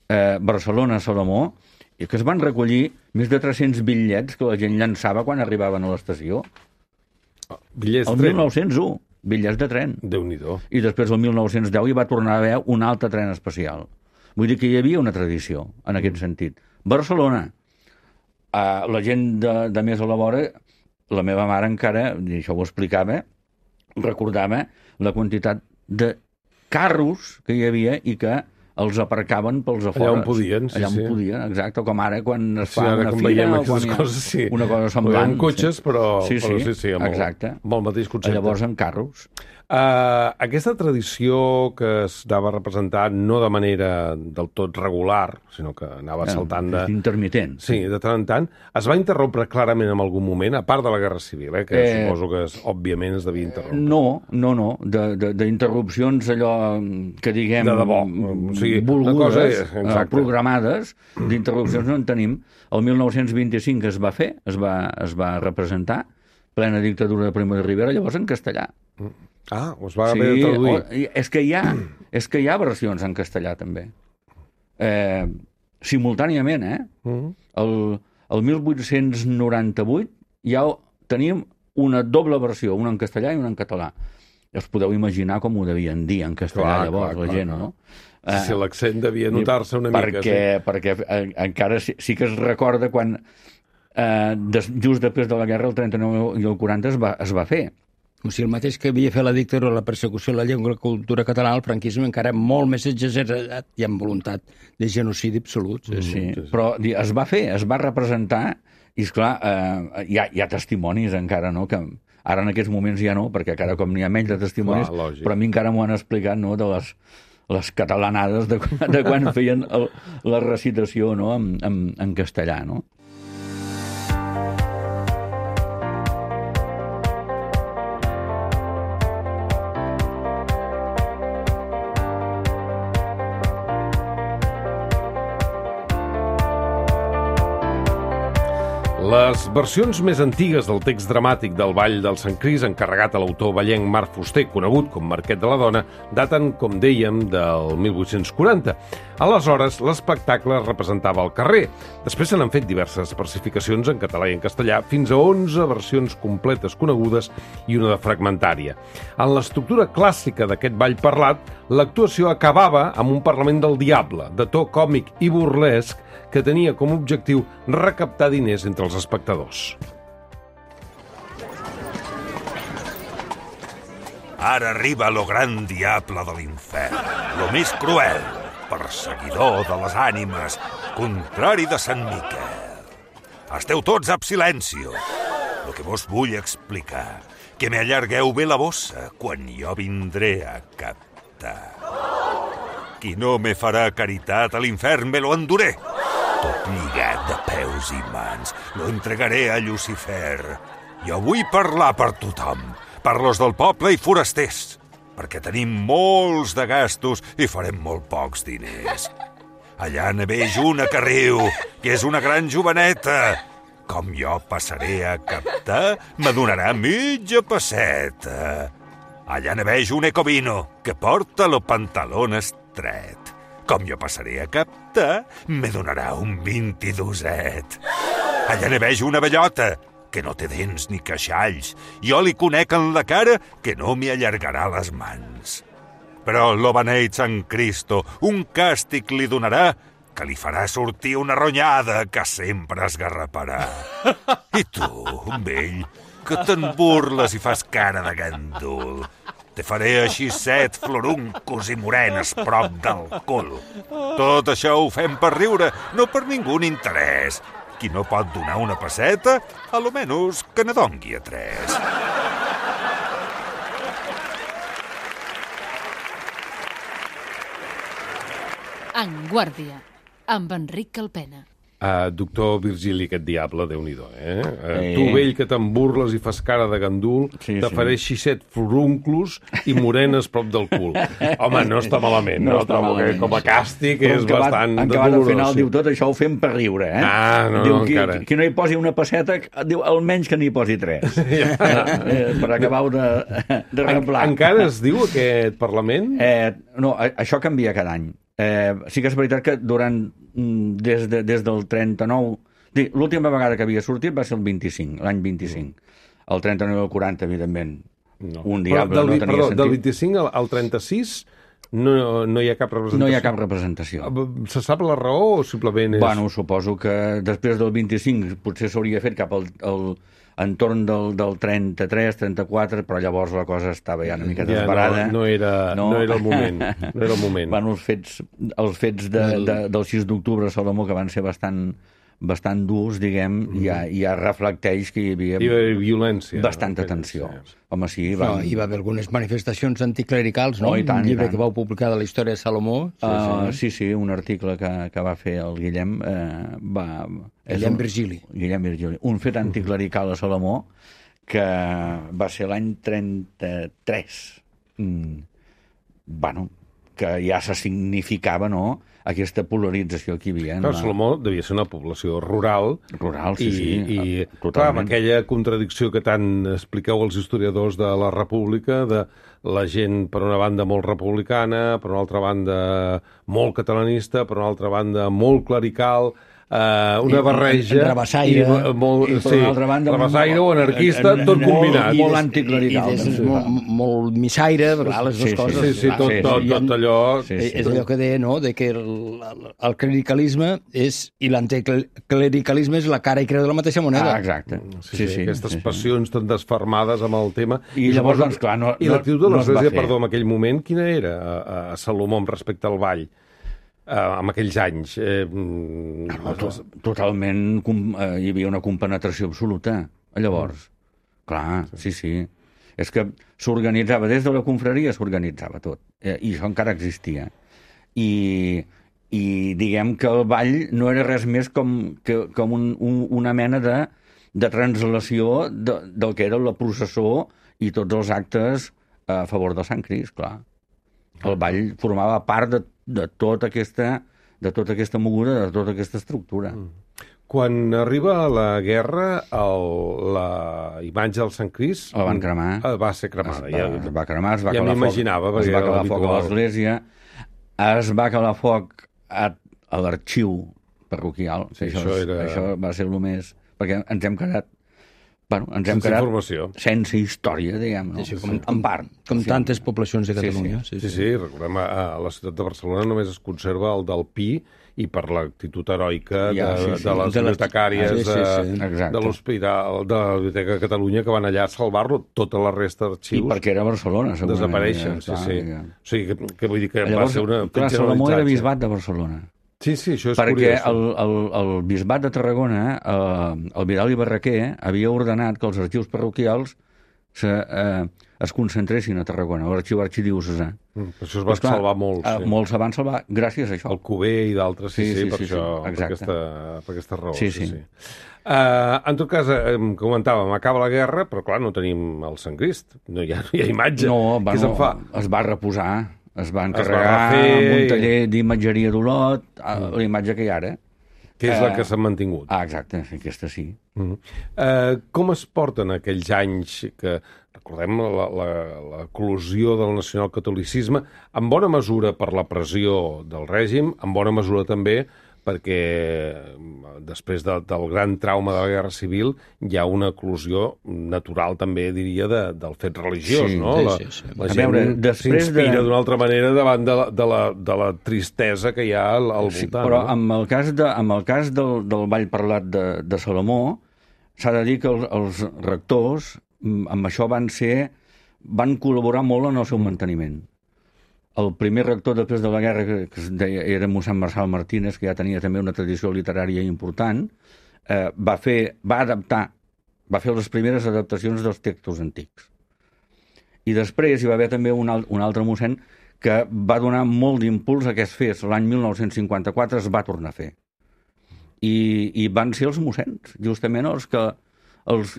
eh, Barcelona-Salomó, i que es van recollir més de tres-cents bitllets que la gent llançava quan arribaven a l'estació. Bitllets El tren. mil nou-cents u, bitllets de tren. Déu-n'hi-do. I després, el mil nou-cents deu, hi va tornar a haver un altre tren especial. Vull dir que hi havia una tradició, en aquest sentit. Barcelona, eh, la gent de, de més a la vora, la meva mare encara, i això ho explicava, recordava la quantitat de carros que hi havia i que els aparcaven pels afores. Allà on podien, sí, Allà on sí. podien, exacte, com ara quan es Sí, fa ara una com fira veiem o aquestes quan hi ha coses, sí. una cosa semblant. Amb cotxes, sí. però, Sí, sí, però sí, sí, amb, exacte. El, amb el mateix concepte. Llavors, amb carros. Uh, aquesta tradició que es anava a representar no de manera del tot regular, sinó que anava saltant de... És intermitent. Sí, de tant en tant, es va interrompre clarament en algun moment, a part de la Guerra Civil, eh, que Eh, suposo que es, òbviament es devia interrompre. No, no, no, de- de- d'interrupcions allò que diguem... De debò, o sigui, una volgudes, cosa és- eh, exacte. programades, d'interrupcions no en tenim. El mil nou-cents vint-i-cinc es va fer, es va, es va representar, plena dictadura de Primo de Rivera, llavors en castellà. Ah, us va haver de traduir. o- i és que hi ha, és que hi ha versions en castellà, també. Eh, simultàniament, eh? Mm. El, el mil vuit-cents noranta-vuit ja teníem una doble versió, una en castellà i una en català. Us podeu imaginar com ho devien dir en castellà, Clar, llavors, clar, la clar, gent, clar. no? Sí, sí, l'accent devia notar-se una perquè, mica. Perquè eh, encara sí, sí que es recorda quan, eh, des, just després de la guerra, el trenta-nou i el quaranta es va, es va fer. O sigui, el mateix que havia fet la dictadura, la persecució de la llengua i la cultura catalana, el franquisme encara molt més exagerat i amb voluntat de genocidi absolut. Sí, sí. Però di- es va fer, es va representar, i esclar, eh, hi, ha, hi ha testimonis encara, no?, que ara en aquests moments ja no, perquè encara com n'hi ha menys de testimonis, Clar, lògic. però a mi encara m'ho han explicat, no?, de les, les catalanades de, quan- de quan feien el, la recitació, no?, en, en, en castellà, no? Les versions més antigues del text dramàtic del Ball del Sant Crist, encarregat a l'autor ballenc Marc Fuster, conegut com Marquet de la Dona, daten, com dèiem, del mil vuit-cents quaranta. Aleshores, l'espectacle es representava al carrer. Després se n'han fet diverses versificacions en català i en castellà, fins a onze versions completes conegudes i una de fragmentària. En l'estructura clàssica d'aquest ball parlat, l'actuació acabava amb un parlament del diable, de to còmic i burlesc, que tenia com a objectiu recaptar diners entre els espectadors. Ara arriba lo gran diable de l'infern, lo més cruel, perseguidor de les ànimes, contrari de Sant Miquel. Esteu tots ab silencio. Lo que vos vull explicar, que me allargueu bé la bossa quan jo vindré a captar. Qui no me farà caritat a l'infern me lo enduré. Tot lligat de peus i mans, lo entregaré a Llucifer. Jo vull parlar per tothom, per los del poble i forasters, perquè tenim molts de gastos i farem molt pocs diners. Allà ne veig una que riu, que és una gran joveneta. Com jo passaré a captar, me donarà mitja pesseta. Allà ne veig un ecovino, que porta lo pantalón estret. Com jo passaré a captar, me donarà un vint-i-doset. Allà ne veig una bellota, que no té dents ni queixalls. Jo li conec en la cara que no m'hi allargarà les mans. Però lo beneït Sant Cristo un càstig li donarà que li farà sortir una ronyada que sempre esgarraparà. I tu, vell, que te'n burles i fas cara de gandul. Te faré així set floruncos i morenes prop del cul. Tot això ho fem per riure, no per ningú interès. Qui no pot donar una pesseta, a lo menys que ne dongui a tres. En Guàrdia, amb Enric Calpena. Uh, doctor Virgili, aquest diable, Déu-n'hi-do, eh? Uh, Eh. Tu, vell, que te'n burles i fas cara de gandul, Sí, te sí. faré set furunclos i morenes prop del cul. Home, no està malament, no? No està Trobo que malament. com a càstig Però és en acabat- bastant en acabat al dolorós. final sí. diu tot això ho fem per riure, eh? Ah, no, diu, no, qui, encara. qui no hi posi una pesseta, diu almenys que n'hi posi tres. eh, per acabar-ho de, de En, reblar. encara es diu aquest Parlament? Eh, no, a- això canvia cada any. Eh, sí que és veritat que durant mm, des, de, des del trenta-nou... di- L'última vegada que havia sortit va ser el vint-i-cinc, l'any vint-i-cinc. El trenta-nou i el quaranta, evidentment. No. Un Però diable del, no tenia perdó, sentit. del vint-i-cinc al, al trenta-sis no, no hi ha cap representació? No hi ha cap representació. Se sap la raó o simplement és... Bueno, suposo que després del vint-i-cinc potser s'hauria fet cap al, al entorn del, del trenta-tres, trenta-quatre, però llavors la cosa estava ja una mica ja desbarada. no, no, era, no? no era el moment. No era el moment. Bueno, els fets, els fets de, de, del sis d'octubre a Salomó, que van ser bastant, bastant durs, diguem, mm. ja, ja reflecteix que hi havia Hi va haver violència. bastanta no? tensió. Sí. Home, sí, No, van... hi va haver algunes manifestacions anticlericals, no? Oh, i tant, Un i llibre tant. que vau publicar de la història de Salomó. Sí, uh, sí, sí, un article que, que va fer el Guillem eh, va... és Guillem un- Virgili. Guillem Virgili. Un fet anticlerical a Salomó que va ser l'any trenta-tres. Mm. Bueno, que ja se significava, no?, aquesta polarització que hi havia. Clar, la- Salomó devia ser una població rural. Rural, sí, i, sí, I, totalment. clar, amb aquella contradicció que tant expliqueu els historiadors de la República, de la gent, per una banda, molt republicana, per una altra banda, molt catalanista, per una altra banda, molt clerical, eh, una I- barreja... i rabassaire. I, molt, I per sí, una altra banda, rabassaire o molt- anarquista, eh, tot molt- combinat. molt des- anticlerical, I, i des, també. molt, molt missaire, clar, les dues Sí, sí, coses. Sí, sí, clar. tot, sí, tot, I en- tot allò... Sí, Eh, És allò que deia, no?, de que el, el clericalisme és, i l'anticlericalisme és la cara i creu de la mateixa moneda. Ah, exacte. Sí, sí, sí, aquestes passions tan desfermades amb el tema. I llavors, doncs, clar, no- I no- l'actitud de no es va l'Església, fer. perdó, en aquell moment, quina era a, a Salomó amb respecte al ball? Uh, en aquells anys. Eh, mm, No, to- totalment, com- eh, hi havia una compenetració absoluta, llavors. Clar, sí, sí. És que s'organitzava, des de la confraria s'organitzava tot, eh, i això encara existia. I, i diguem que el ball no era res més com, que, com un, un, una mena de, de translació de, del que era la processó i tots els actes a favor de Sant Crist, clar. El ball formava part de, de tota aquesta de tota aquesta moguda, de tota aquesta estructura. Mm. Quan arriba la guerra, el, la imatge del Sant Crist... La van cremar. eh, Va ser cremada. Es va, ja, es va cremar, es va ja calar m'imaginava, foc, es perquè va era calar foc a l'habitual. l'església, es va calar foc a, a l'arxiu parroquial. Sí, això, això és- era- això va ser el més... Perquè ens hem quedat... Bueno, ens hem Sense quedat informació. sense història, diguem, no? Sí, com, en part. Com Sí. tantes poblacions de Sí, sí. Catalunya. Sí, sí, recordem, a, a la ciutat de Barcelona només es conserva el del Pi i per l'actitud heroica de, Ja, sí, sí. de les De les- bibliotecàries Ah, sí, sí, sí. de, Exacte. de l'Hospital de la Biblioteca de Catalunya que van allà a salvar-lo. Tota la resta I d'arxius perquè era Barcelona, segurament. desapareixen. Ja Sí, està, sí. ja. O sigui, que, que vull dir que Llavors, va ser una... clar, un Salomó era generalitzatge. bisbat de Barcelona. Sí, sí, això és Perquè curiós. el, el, el bisbat de Tarragona, eh, el Vidal i Barraquer, havia ordenat que els arxius parroquials se, eh, es concentressin a Tarragona, l'arxiu arxidiocesà. Mm, per això es va Doncs, clar, salvar molt. eh, Sí. Molts se van salvar gràcies a això. El Cuber i d'altres, sí, Sí, sí, sí, per sí, això, sí, per exacte. aquesta, per aquesta raó. Sí, Sí, sí. sí. Uh, en tot cas, eh, comentàvem, acaba la guerra, però clar, no tenim el Sant Crist, no hi ha, no hi ha imatge. No, Què se'n bueno, fa? es va reposar, es va Es va encarregar refer amb un i- taller d'imatgeria d'Olot, mm. la imatge que hi ha ara. Que és la eh, que s'ha mantingut. Ah, exacte, aquesta sí. Mm -hmm. uh, com es porten aquells anys que, recordem, la, la, l'eclosió del nacionalcatolicisme, en bona mesura per la pressió del règim, en bona mesura també perquè després de, del gran trauma de la Guerra Civil hi ha una eclosió natural, també diria, de, del fet religiós, sí, no? Sí, la, sí, sí. la gent veure, s'inspira de... d'una altra manera davant de la, de, la, de la tristesa que hi ha al, al voltant. Sí, però no? amb el cas, de, amb el cas del, del ball parlat de, de Salomó, s'ha de dir que els, els rectors amb això van ser, van col·laborar molt en el seu manteniment. El primer rector després de la guerra, que, que es deia, era mossèn Marçal Martínez, que ja tenia també una tradició literària important, eh, va fer, va adaptar, va fer les primeres adaptacions dels textos antics. I després hi va haver també un, al, un altre mossèn que va donar molt d'impuls a que es fes. L'any mil nou-cents cinquanta-quatre es va tornar a fer. I, i van ser els mossèns, justament els que, els,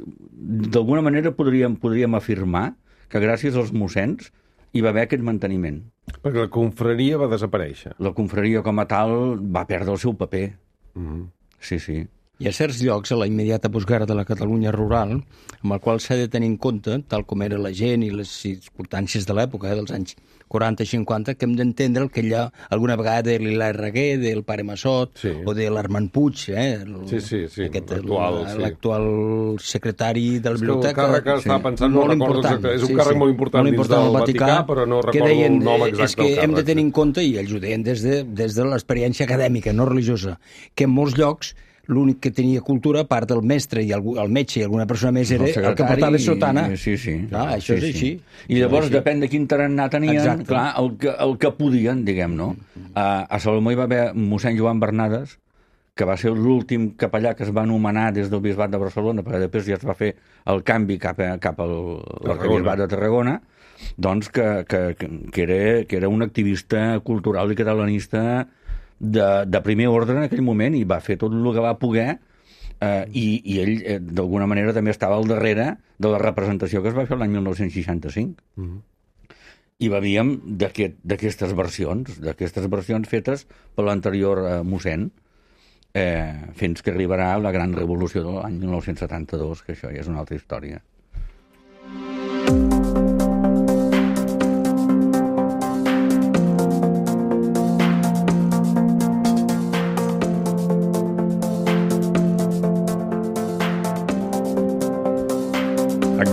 d'alguna manera podríem, podríem afirmar que gràcies als mossèns hi va haver aquest manteniment. Perquè la confraria va desaparèixer. La confraria com a tal va perdre el seu paper. Mm-hmm. Sí, sí. Hi ha certs llocs a la immediata postguerra de la Catalunya rural amb el qual s'ha de tenir en compte, tal com era la gent i les circumstàncies de l'època, eh, dels anys quaranta i cinquanta, que hem d'entendre el que hi ha alguna vegada de l'Hilaire Reguer, del pare Massot, sí. o de l'Armand Puig, eh, el, sí, sí, sí, aquest, l'actual, el, sí. l'actual secretari de la biblioteca. És que el càrrec que estava pensant, no recordo exacte, és un sí, càrrec sí. molt important, molt important dins del Vaticà, Vaticà, però no recordo deien, el nom exacte és que del càrrec. Hem de tenir en compte, i ells ho deien des de, des de l'experiència acadèmica, no religiosa, que en molts llocs l'únic que tenia cultura, a part del mestre i el, el metge i alguna persona més, era el, el que portava sotana. Sí, sí. Clar, això sí, és així. Sí. I llavors, així. Depèn de quin tarannà tenien, exacte. Clar, el que, el que podien, diguem, no? A, a Salomó hi va haver mossèn Joan Bernades, que va ser l'últim capellà que es va anomenar des del bisbat de Barcelona, perquè després ja es va fer el canvi cap, a, cap al bisbat de Tarragona, doncs que, que, que, era, que era un activista cultural i catalanista De, de primer ordre en aquell moment, i va fer tot el que va poder, eh, i, i ell eh, d'alguna manera també estava al darrere de la representació que es va fer l'any mil nou-cents seixanta-cinc. Mm-hmm. I beviem d'aquestes versions, d'aquestes versions fetes per l'anterior eh, mossèn, eh, fins que arribarà la gran revolució de l'any mil nou-cents setanta-dos, que això ja és una altra història.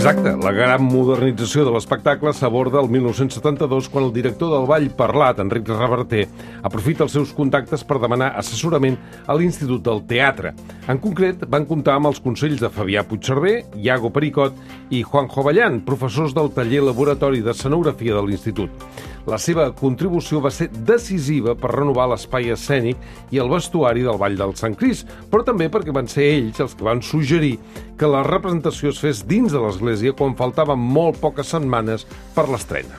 Exacte, la gran modernització de l'espectacle s'aborda el mil nou-cents setanta-dos quan el director del Ball Parlat, Enric Reverter, aprofita els seus contactes per demanar assessorament a l'Institut del Teatre. En concret, van comptar amb els consells de Fabià Puigcerver, Iago Pericot i Juanjo Vallan, professors del taller laboratori d'escenografia de l'Institut. La seva contribució va ser decisiva per renovar l'espai escènic i el vestuari del Ball del Sant Crist, però també perquè van ser ells els que van suggerir que la representació es fes dins de l'església quan faltaven molt poques setmanes per l'estrena.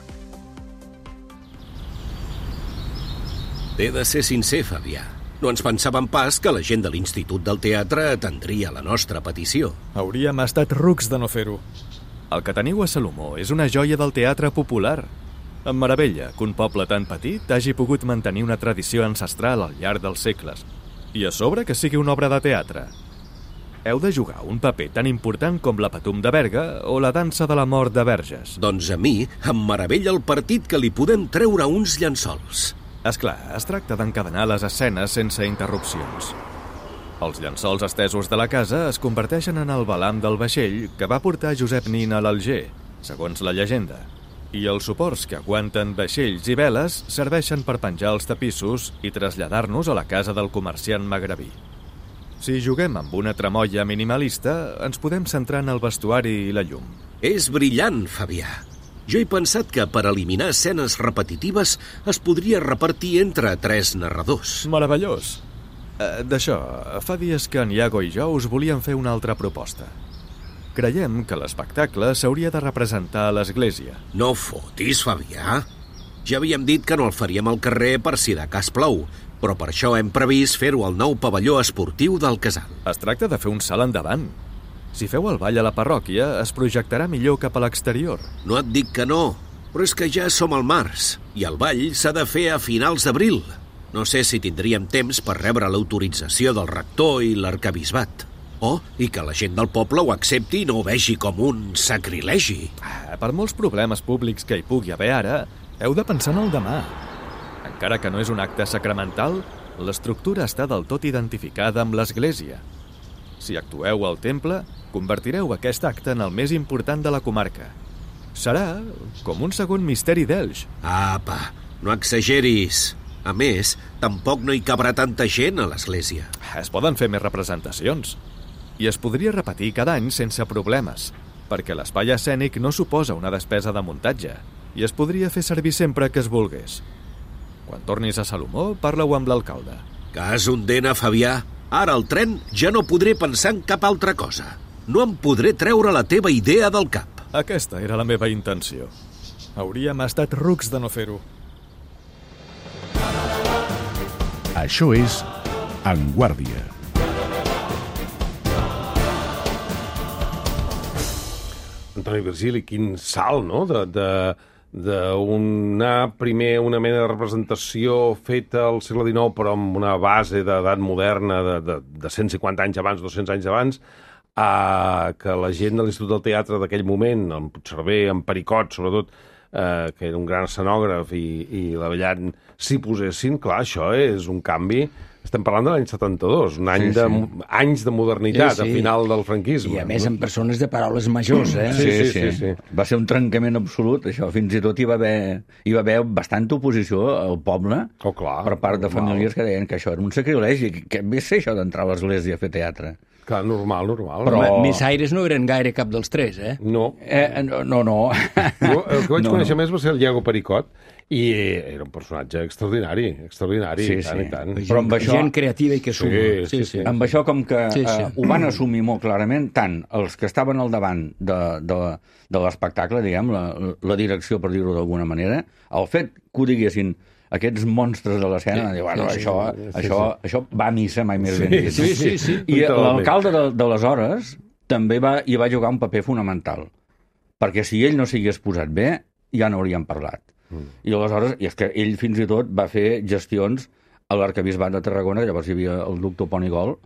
He de ser sincer, Fabià. No ens pensàvem pas que la gent de l'Institut del Teatre atendria la nostra petició. Hauríem estat rucs de no fer-ho. El que teniu a Salomó és una joia del teatre popular. Em meravella que un poble tan petit hagi pogut mantenir una tradició ancestral al llarg dels segles. I a sobre que sigui una obra de teatre. Heu de jugar un paper tan important com la Patum de Berga o la dansa de la mort de Verges. Doncs a mi em meravella el partit que li podem treure uns llençols. Esclar, es tracta d'encadenar les escenes sense interrupcions. Els llençols estesos de la casa es converteixen en el balam del vaixell que va portar Josep Nin a l'Alger, segons la llegenda. I els suports que aguanten vaixells i veles serveixen per penjar els tapissos i traslladar-nos a la casa del comerciant magrebí. Si juguem amb una tramoia minimalista, ens podem centrar en el vestuari i la llum. És brillant, Fabià. Jo he pensat que per eliminar escenes repetitives es podria repartir entre tres narradors. Meravellós. Eh, D'això, fa dies que en Iago i jo us volíem fer una altra proposta. Creiem que l'espectacle s'hauria de representar a l'església. No fotis, Fabià. Ja havíem dit que no el faríem al carrer per si de cas plou, però per això hem previst fer-ho al nou pavelló esportiu del Casal. Es tracta de fer un salt endavant. Si feu el ball a la parròquia, es projectarà millor cap a l'exterior. No et dic que no, però és que ja som al març, i el ball s'ha de fer a finals d'abril. No sé si tindríem temps per rebre l'autorització del rector i l'arquebisbat. Oh, i que la gent del poble ho accepti i no ho vegi com un sacrilegi. Ah, per molts problemes públics que hi pugui haver ara, heu de pensar en el demà. Encara que no és un acte sacramental, l'estructura està del tot identificada amb l'església. Si actueu al temple, convertireu aquest acte en el més important de la comarca. Serà com un segon misteri d'Elx. Apa, no exageris. A més, tampoc no hi cabrà tanta gent a l'església. Es poden fer més representacions. I es podria repetir cada any sense problemes, perquè l'espai escènic no suposa una despesa de muntatge i es podria fer servir sempre que es volgués. Quan tornis a Salomó, parla-ho amb l'alcalde. Cas un dena, Fabià. Ara al tren ja no podré pensar en cap altra cosa. No em podré treure la teva idea del cap. Aquesta era la meva intenció. Hauríem estat rucs de no fer-ho. Això és En Guàrdia. Antoni Virgili, quin salt, no?, de, de, d'una primer una mena de representació feta al segle dinou, però amb una base d'edat moderna de, de, de cent cinquanta anys abans, dos-cents anys abans, a que la gent de l'Institut del Teatre d'aquell moment, en Puigcerver, en Pericot, sobretot, eh, que era un gran escenògraf, i, i l'Avellan s'hi posessin. Clar, això és un canvi. Estem parlant de l'any setanta-dos, un any sí, sí. de, anys de modernitat, sí, sí. a final del franquisme. I a més amb persones de paraules majors, eh? Sí, sí, sí. sí, sí. Va ser un trencament absolut, això. Fins i tot hi va haver, hi va haver bastanta oposició al poble oh, clar, per part de famílies que deien que això era un sacrilegi, que ve ser això d'entrar a l'església a fer teatre. Clar, normal, normal. Però missaires no eren gaire cap dels tres, eh? No. Eh, no, no. no. Jo, el que vaig no, conèixer no. més va ser el Diego Pericot, i era un personatge extraordinari, extraordinari, sí, tant sí. i tant. Però amb això... Gent creativa i que suma. Sí, sí, sí. Amb això com que sí, sí. Eh, ho van assumir molt clarament, tant els que estaven al davant de, de, de l'espectacle, diguem, la, la direcció, per dir-ho d'alguna manera, el fet que ho diguessin aquests monstres de l'escena, sí, bueno, sí, això, sí, això, sí. això va a missa, mai més sí, ben dit. Sí, sí, sí. I l'alcalde de, d'aleshores també va, hi va jugar un paper fonamental, perquè si ell no s'hagués posat bé, ja no hauríem parlat. Mm. I aleshores, i és que ell fins i tot va fer gestions a l'arquebisbat de Tarragona, llavors hi havia el doctor Ponigol,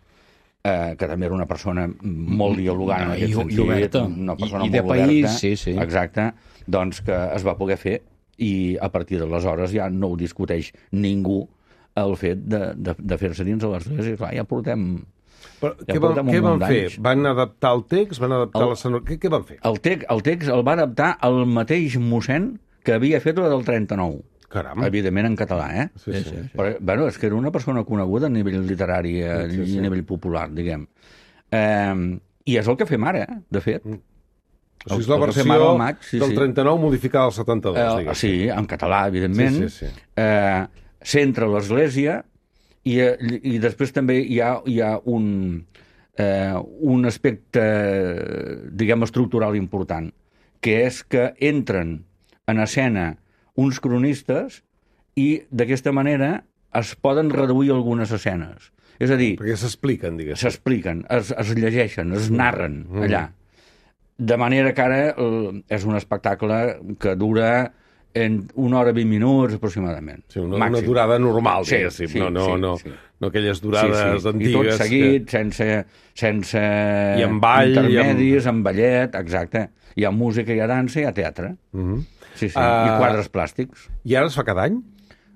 eh, que també era una persona molt dialogant en aquest I, sentit, i oberta. una persona I, i de molt país, oberta, sí, sí. exacte, doncs que es va poder fer, i a partir d'aleshores ja no ho discuteix ningú el fet de, de, de fer-se dins de l'església. Clar, ja portem... Però ja què van, què van fer? d'anys. Van adaptar el text? Van adaptar el, l'escenografia? Què, què van fer? El, text, el text el va adaptar el mateix mossèn que havia fet la del trenta-nou. Caram. Evidentment en català, eh? Sí, sí, sí. Però, bueno, és que era una persona coneguda a nivell literari i sí, sí. a nivell popular, diguem. Eh, I és el que fem ara, eh? De fet. Mm. O sigui, és la el versió maig, sí, del sí. trenta-nou modificada al setanta-dos, eh, diguem. Sí, en català, evidentment. Sí, sí, sí. Eh, centra l'església i, i després també hi ha, hi ha un, eh, un aspecte, diguem, estructural important, que és que entren en escena uns cronistes i d'aquesta manera es poden reduir algunes escenes. És a dir... Perquè s'expliquen, diguem. S'expliquen, es, es llegeixen, es narren mm. allà. De manera que ara eh, és un espectacle que dura en una hora i vint minuts aproximadament. Sí, una, una durada normal, sí, diguéssim. Sí, no, no, sí, no, sí. no aquelles durades sí, sí. antigues. I tot seguit, que... sense, sense I amb ball, intermedis, i amb... amb ballet, exacte. Hi ha música, hi ha dansa, hi ha teatre. Uh -huh. Sí, sí. Uh... I quadres plàstics. I ara es fa cada any?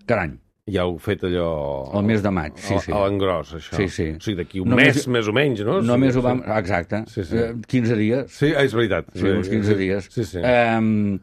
Cada any. Ja heu fet allò... El mes de maig, sí, sí. A l'engròs, això. Sí, sí. O sigui, d'aquí un només, mes, més o menys, no? Només sí, ho vam... Exacte. Sí, sí. quinze dies. Sí, és veritat. Sí, uns quinze dies. Sí, sí. Um,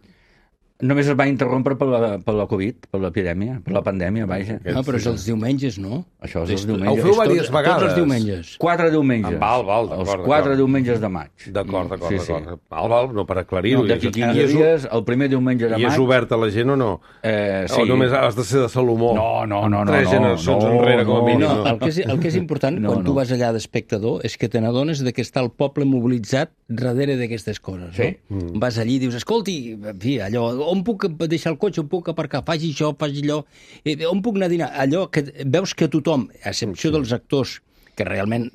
només es va interrompre per la, per la Covid, per l'epidèmia, per la pandèmia, vaja. No, però és els diumenges, no? Això és els Ho diumenges. feu diverses vegades. Tots els diumenges. Quatre diumenges. Ah, val, val, d'acord, Els quatre d'acord. diumenges de maig. D'acord, d'acord, Sí, sí. d'acord. Val, val, no per aclarir-ho. No, d'aquí quinze dies, el primer diumenge de maig... I és obert a la gent o no? Eh, sí. O només has de ser de Salomó? No, no, no. no Tres no, generacions no, enrere, com a no, mínim. No, el que és, el que és important No, quan tu no. vas allà d'espectador és que te n'adones de que està el poble mobilitzat darrere d'aquestes coses. Sí. No? Mm. Vas allí i dius, escolti, en fi, allò, on puc deixar el cotxe, on puc aparcar, faci això, faci allò, eh, on puc anar a dinar? Allò que veus que tothom, a excepció dels actors, que realment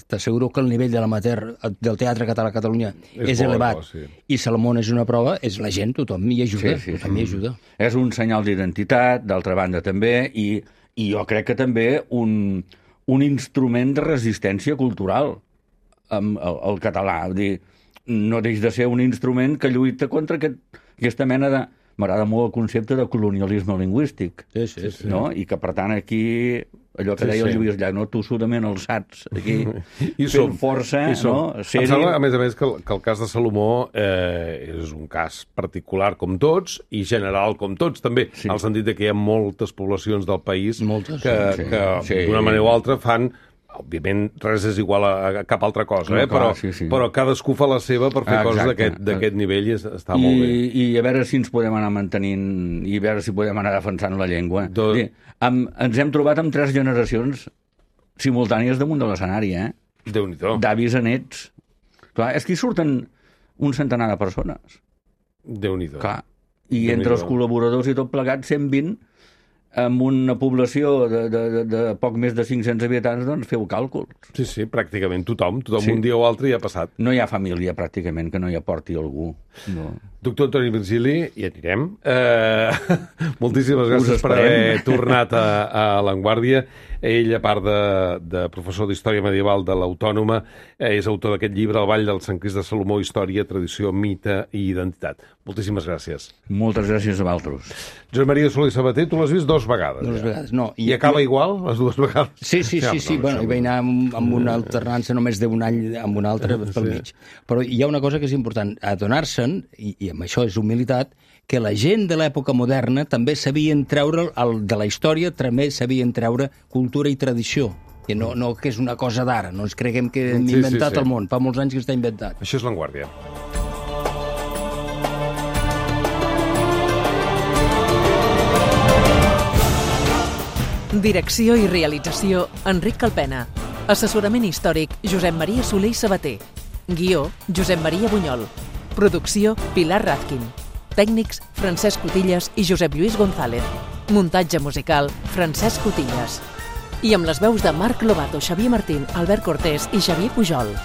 t'asseguro que el nivell de l'amateur del teatre català a Catalunya és, És és bo, elevat, bo, sí. i Salomó és una prova, és la gent, tothom hi ajuda, Sí, sí, tothom hi ajuda. És un senyal d'identitat, d'altra banda també, i, i jo crec que també un, un instrument de resistència cultural amb el, el català. Vull dir, no deix de ser un instrument que lluita contra aquest, aquesta mena de m'agrada molt el concepte de colonialisme lingüístic. Sí, sí, sí. No? I que, per tant, aquí, allò que Sí, deia el sí. Lluís Llach, no? Tossudament alçats, aquí, I fent som, força, i som. no? Em Ser-hi. sembla, a més a més, que el, que el cas de Salomó eh, és un cas particular com tots i general com tots, també, Sí. en el sentit de que hi ha moltes poblacions del país Moltes, que, sí, que sí. d'una manera o altra fan. Òbviament, res és igual a, a cap altra cosa, No, eh? clar, però, sí, sí. però cadascú fa la seva per fer Ah, coses exacte. d'aquest d'aquest nivell i es- està I, molt bé. I a veure si ens podem anar mantenint i a veure si podem anar defensant la llengua. Do- Sí, amb, ens hem trobat amb tres generacions simultànies damunt de l'escenari, eh? Déu-n'hi-do. D'avis a nets. Clar, és que hi surten un centenar de persones. Déu-n'hi-do. Clar. I Déu-n'hi-do. entre els col·laboradors i tot plegat, cent vint, amb una població de, de, de, de poc més de cinc-cents habitants, doncs feu càlculs. Sí, sí, pràcticament tothom. Tothom Sí. un dia o altre hi ha passat. No hi ha família, pràcticament, que no hi aporti algú. No. Doctor Antoni Virgili, hi anirem. Eh, moltíssimes Us gràcies per esperem. haver tornat a, a l'Avantguàrdia. Ell, a part de, de professor d'Història Medieval de l'Autònoma, eh, és autor d'aquest llibre, El Ball del Sant Crist de Salomó, Història, Tradició, Mite i Identitat. Moltíssimes gràcies. Moltes gràcies a vosaltres. Josep Maria Soler Sabater, tu l'has vist dos vegades. Dues ja. vegades, no. I, I acaba igual, les dues vegades? Sí, sí, sí, sí. no, Bueno, això- hi vaig anar amb, amb una alternança només d'un any amb un altre pel Sí. mig. Però hi ha una cosa que és important, adonar-se'n, i, i amb això és humilitat, que la gent de l'època moderna també sabien treure, el, de la història, també sabien treure cultura i tradició. Que no, no que és una cosa d'ara, no ens creguem que hem Sí, sí, inventat sí. el món, fa molts anys que està inventat. Això és l'Avantguàrdia. Direcció i realització, Enric Calpena. Assessorament històric, Josep Maria Soler i Sabater. Guió, Josep Maria Bunyol. Producció, Pilar Razkin. Tècnics, Francesc Cotillas i Josep Lluís González. Muntatge musical, Francesc Cotillas. I amb les veus de Marc Lobato, Xavier Martín, Albert Cortés i Xavier Pujol.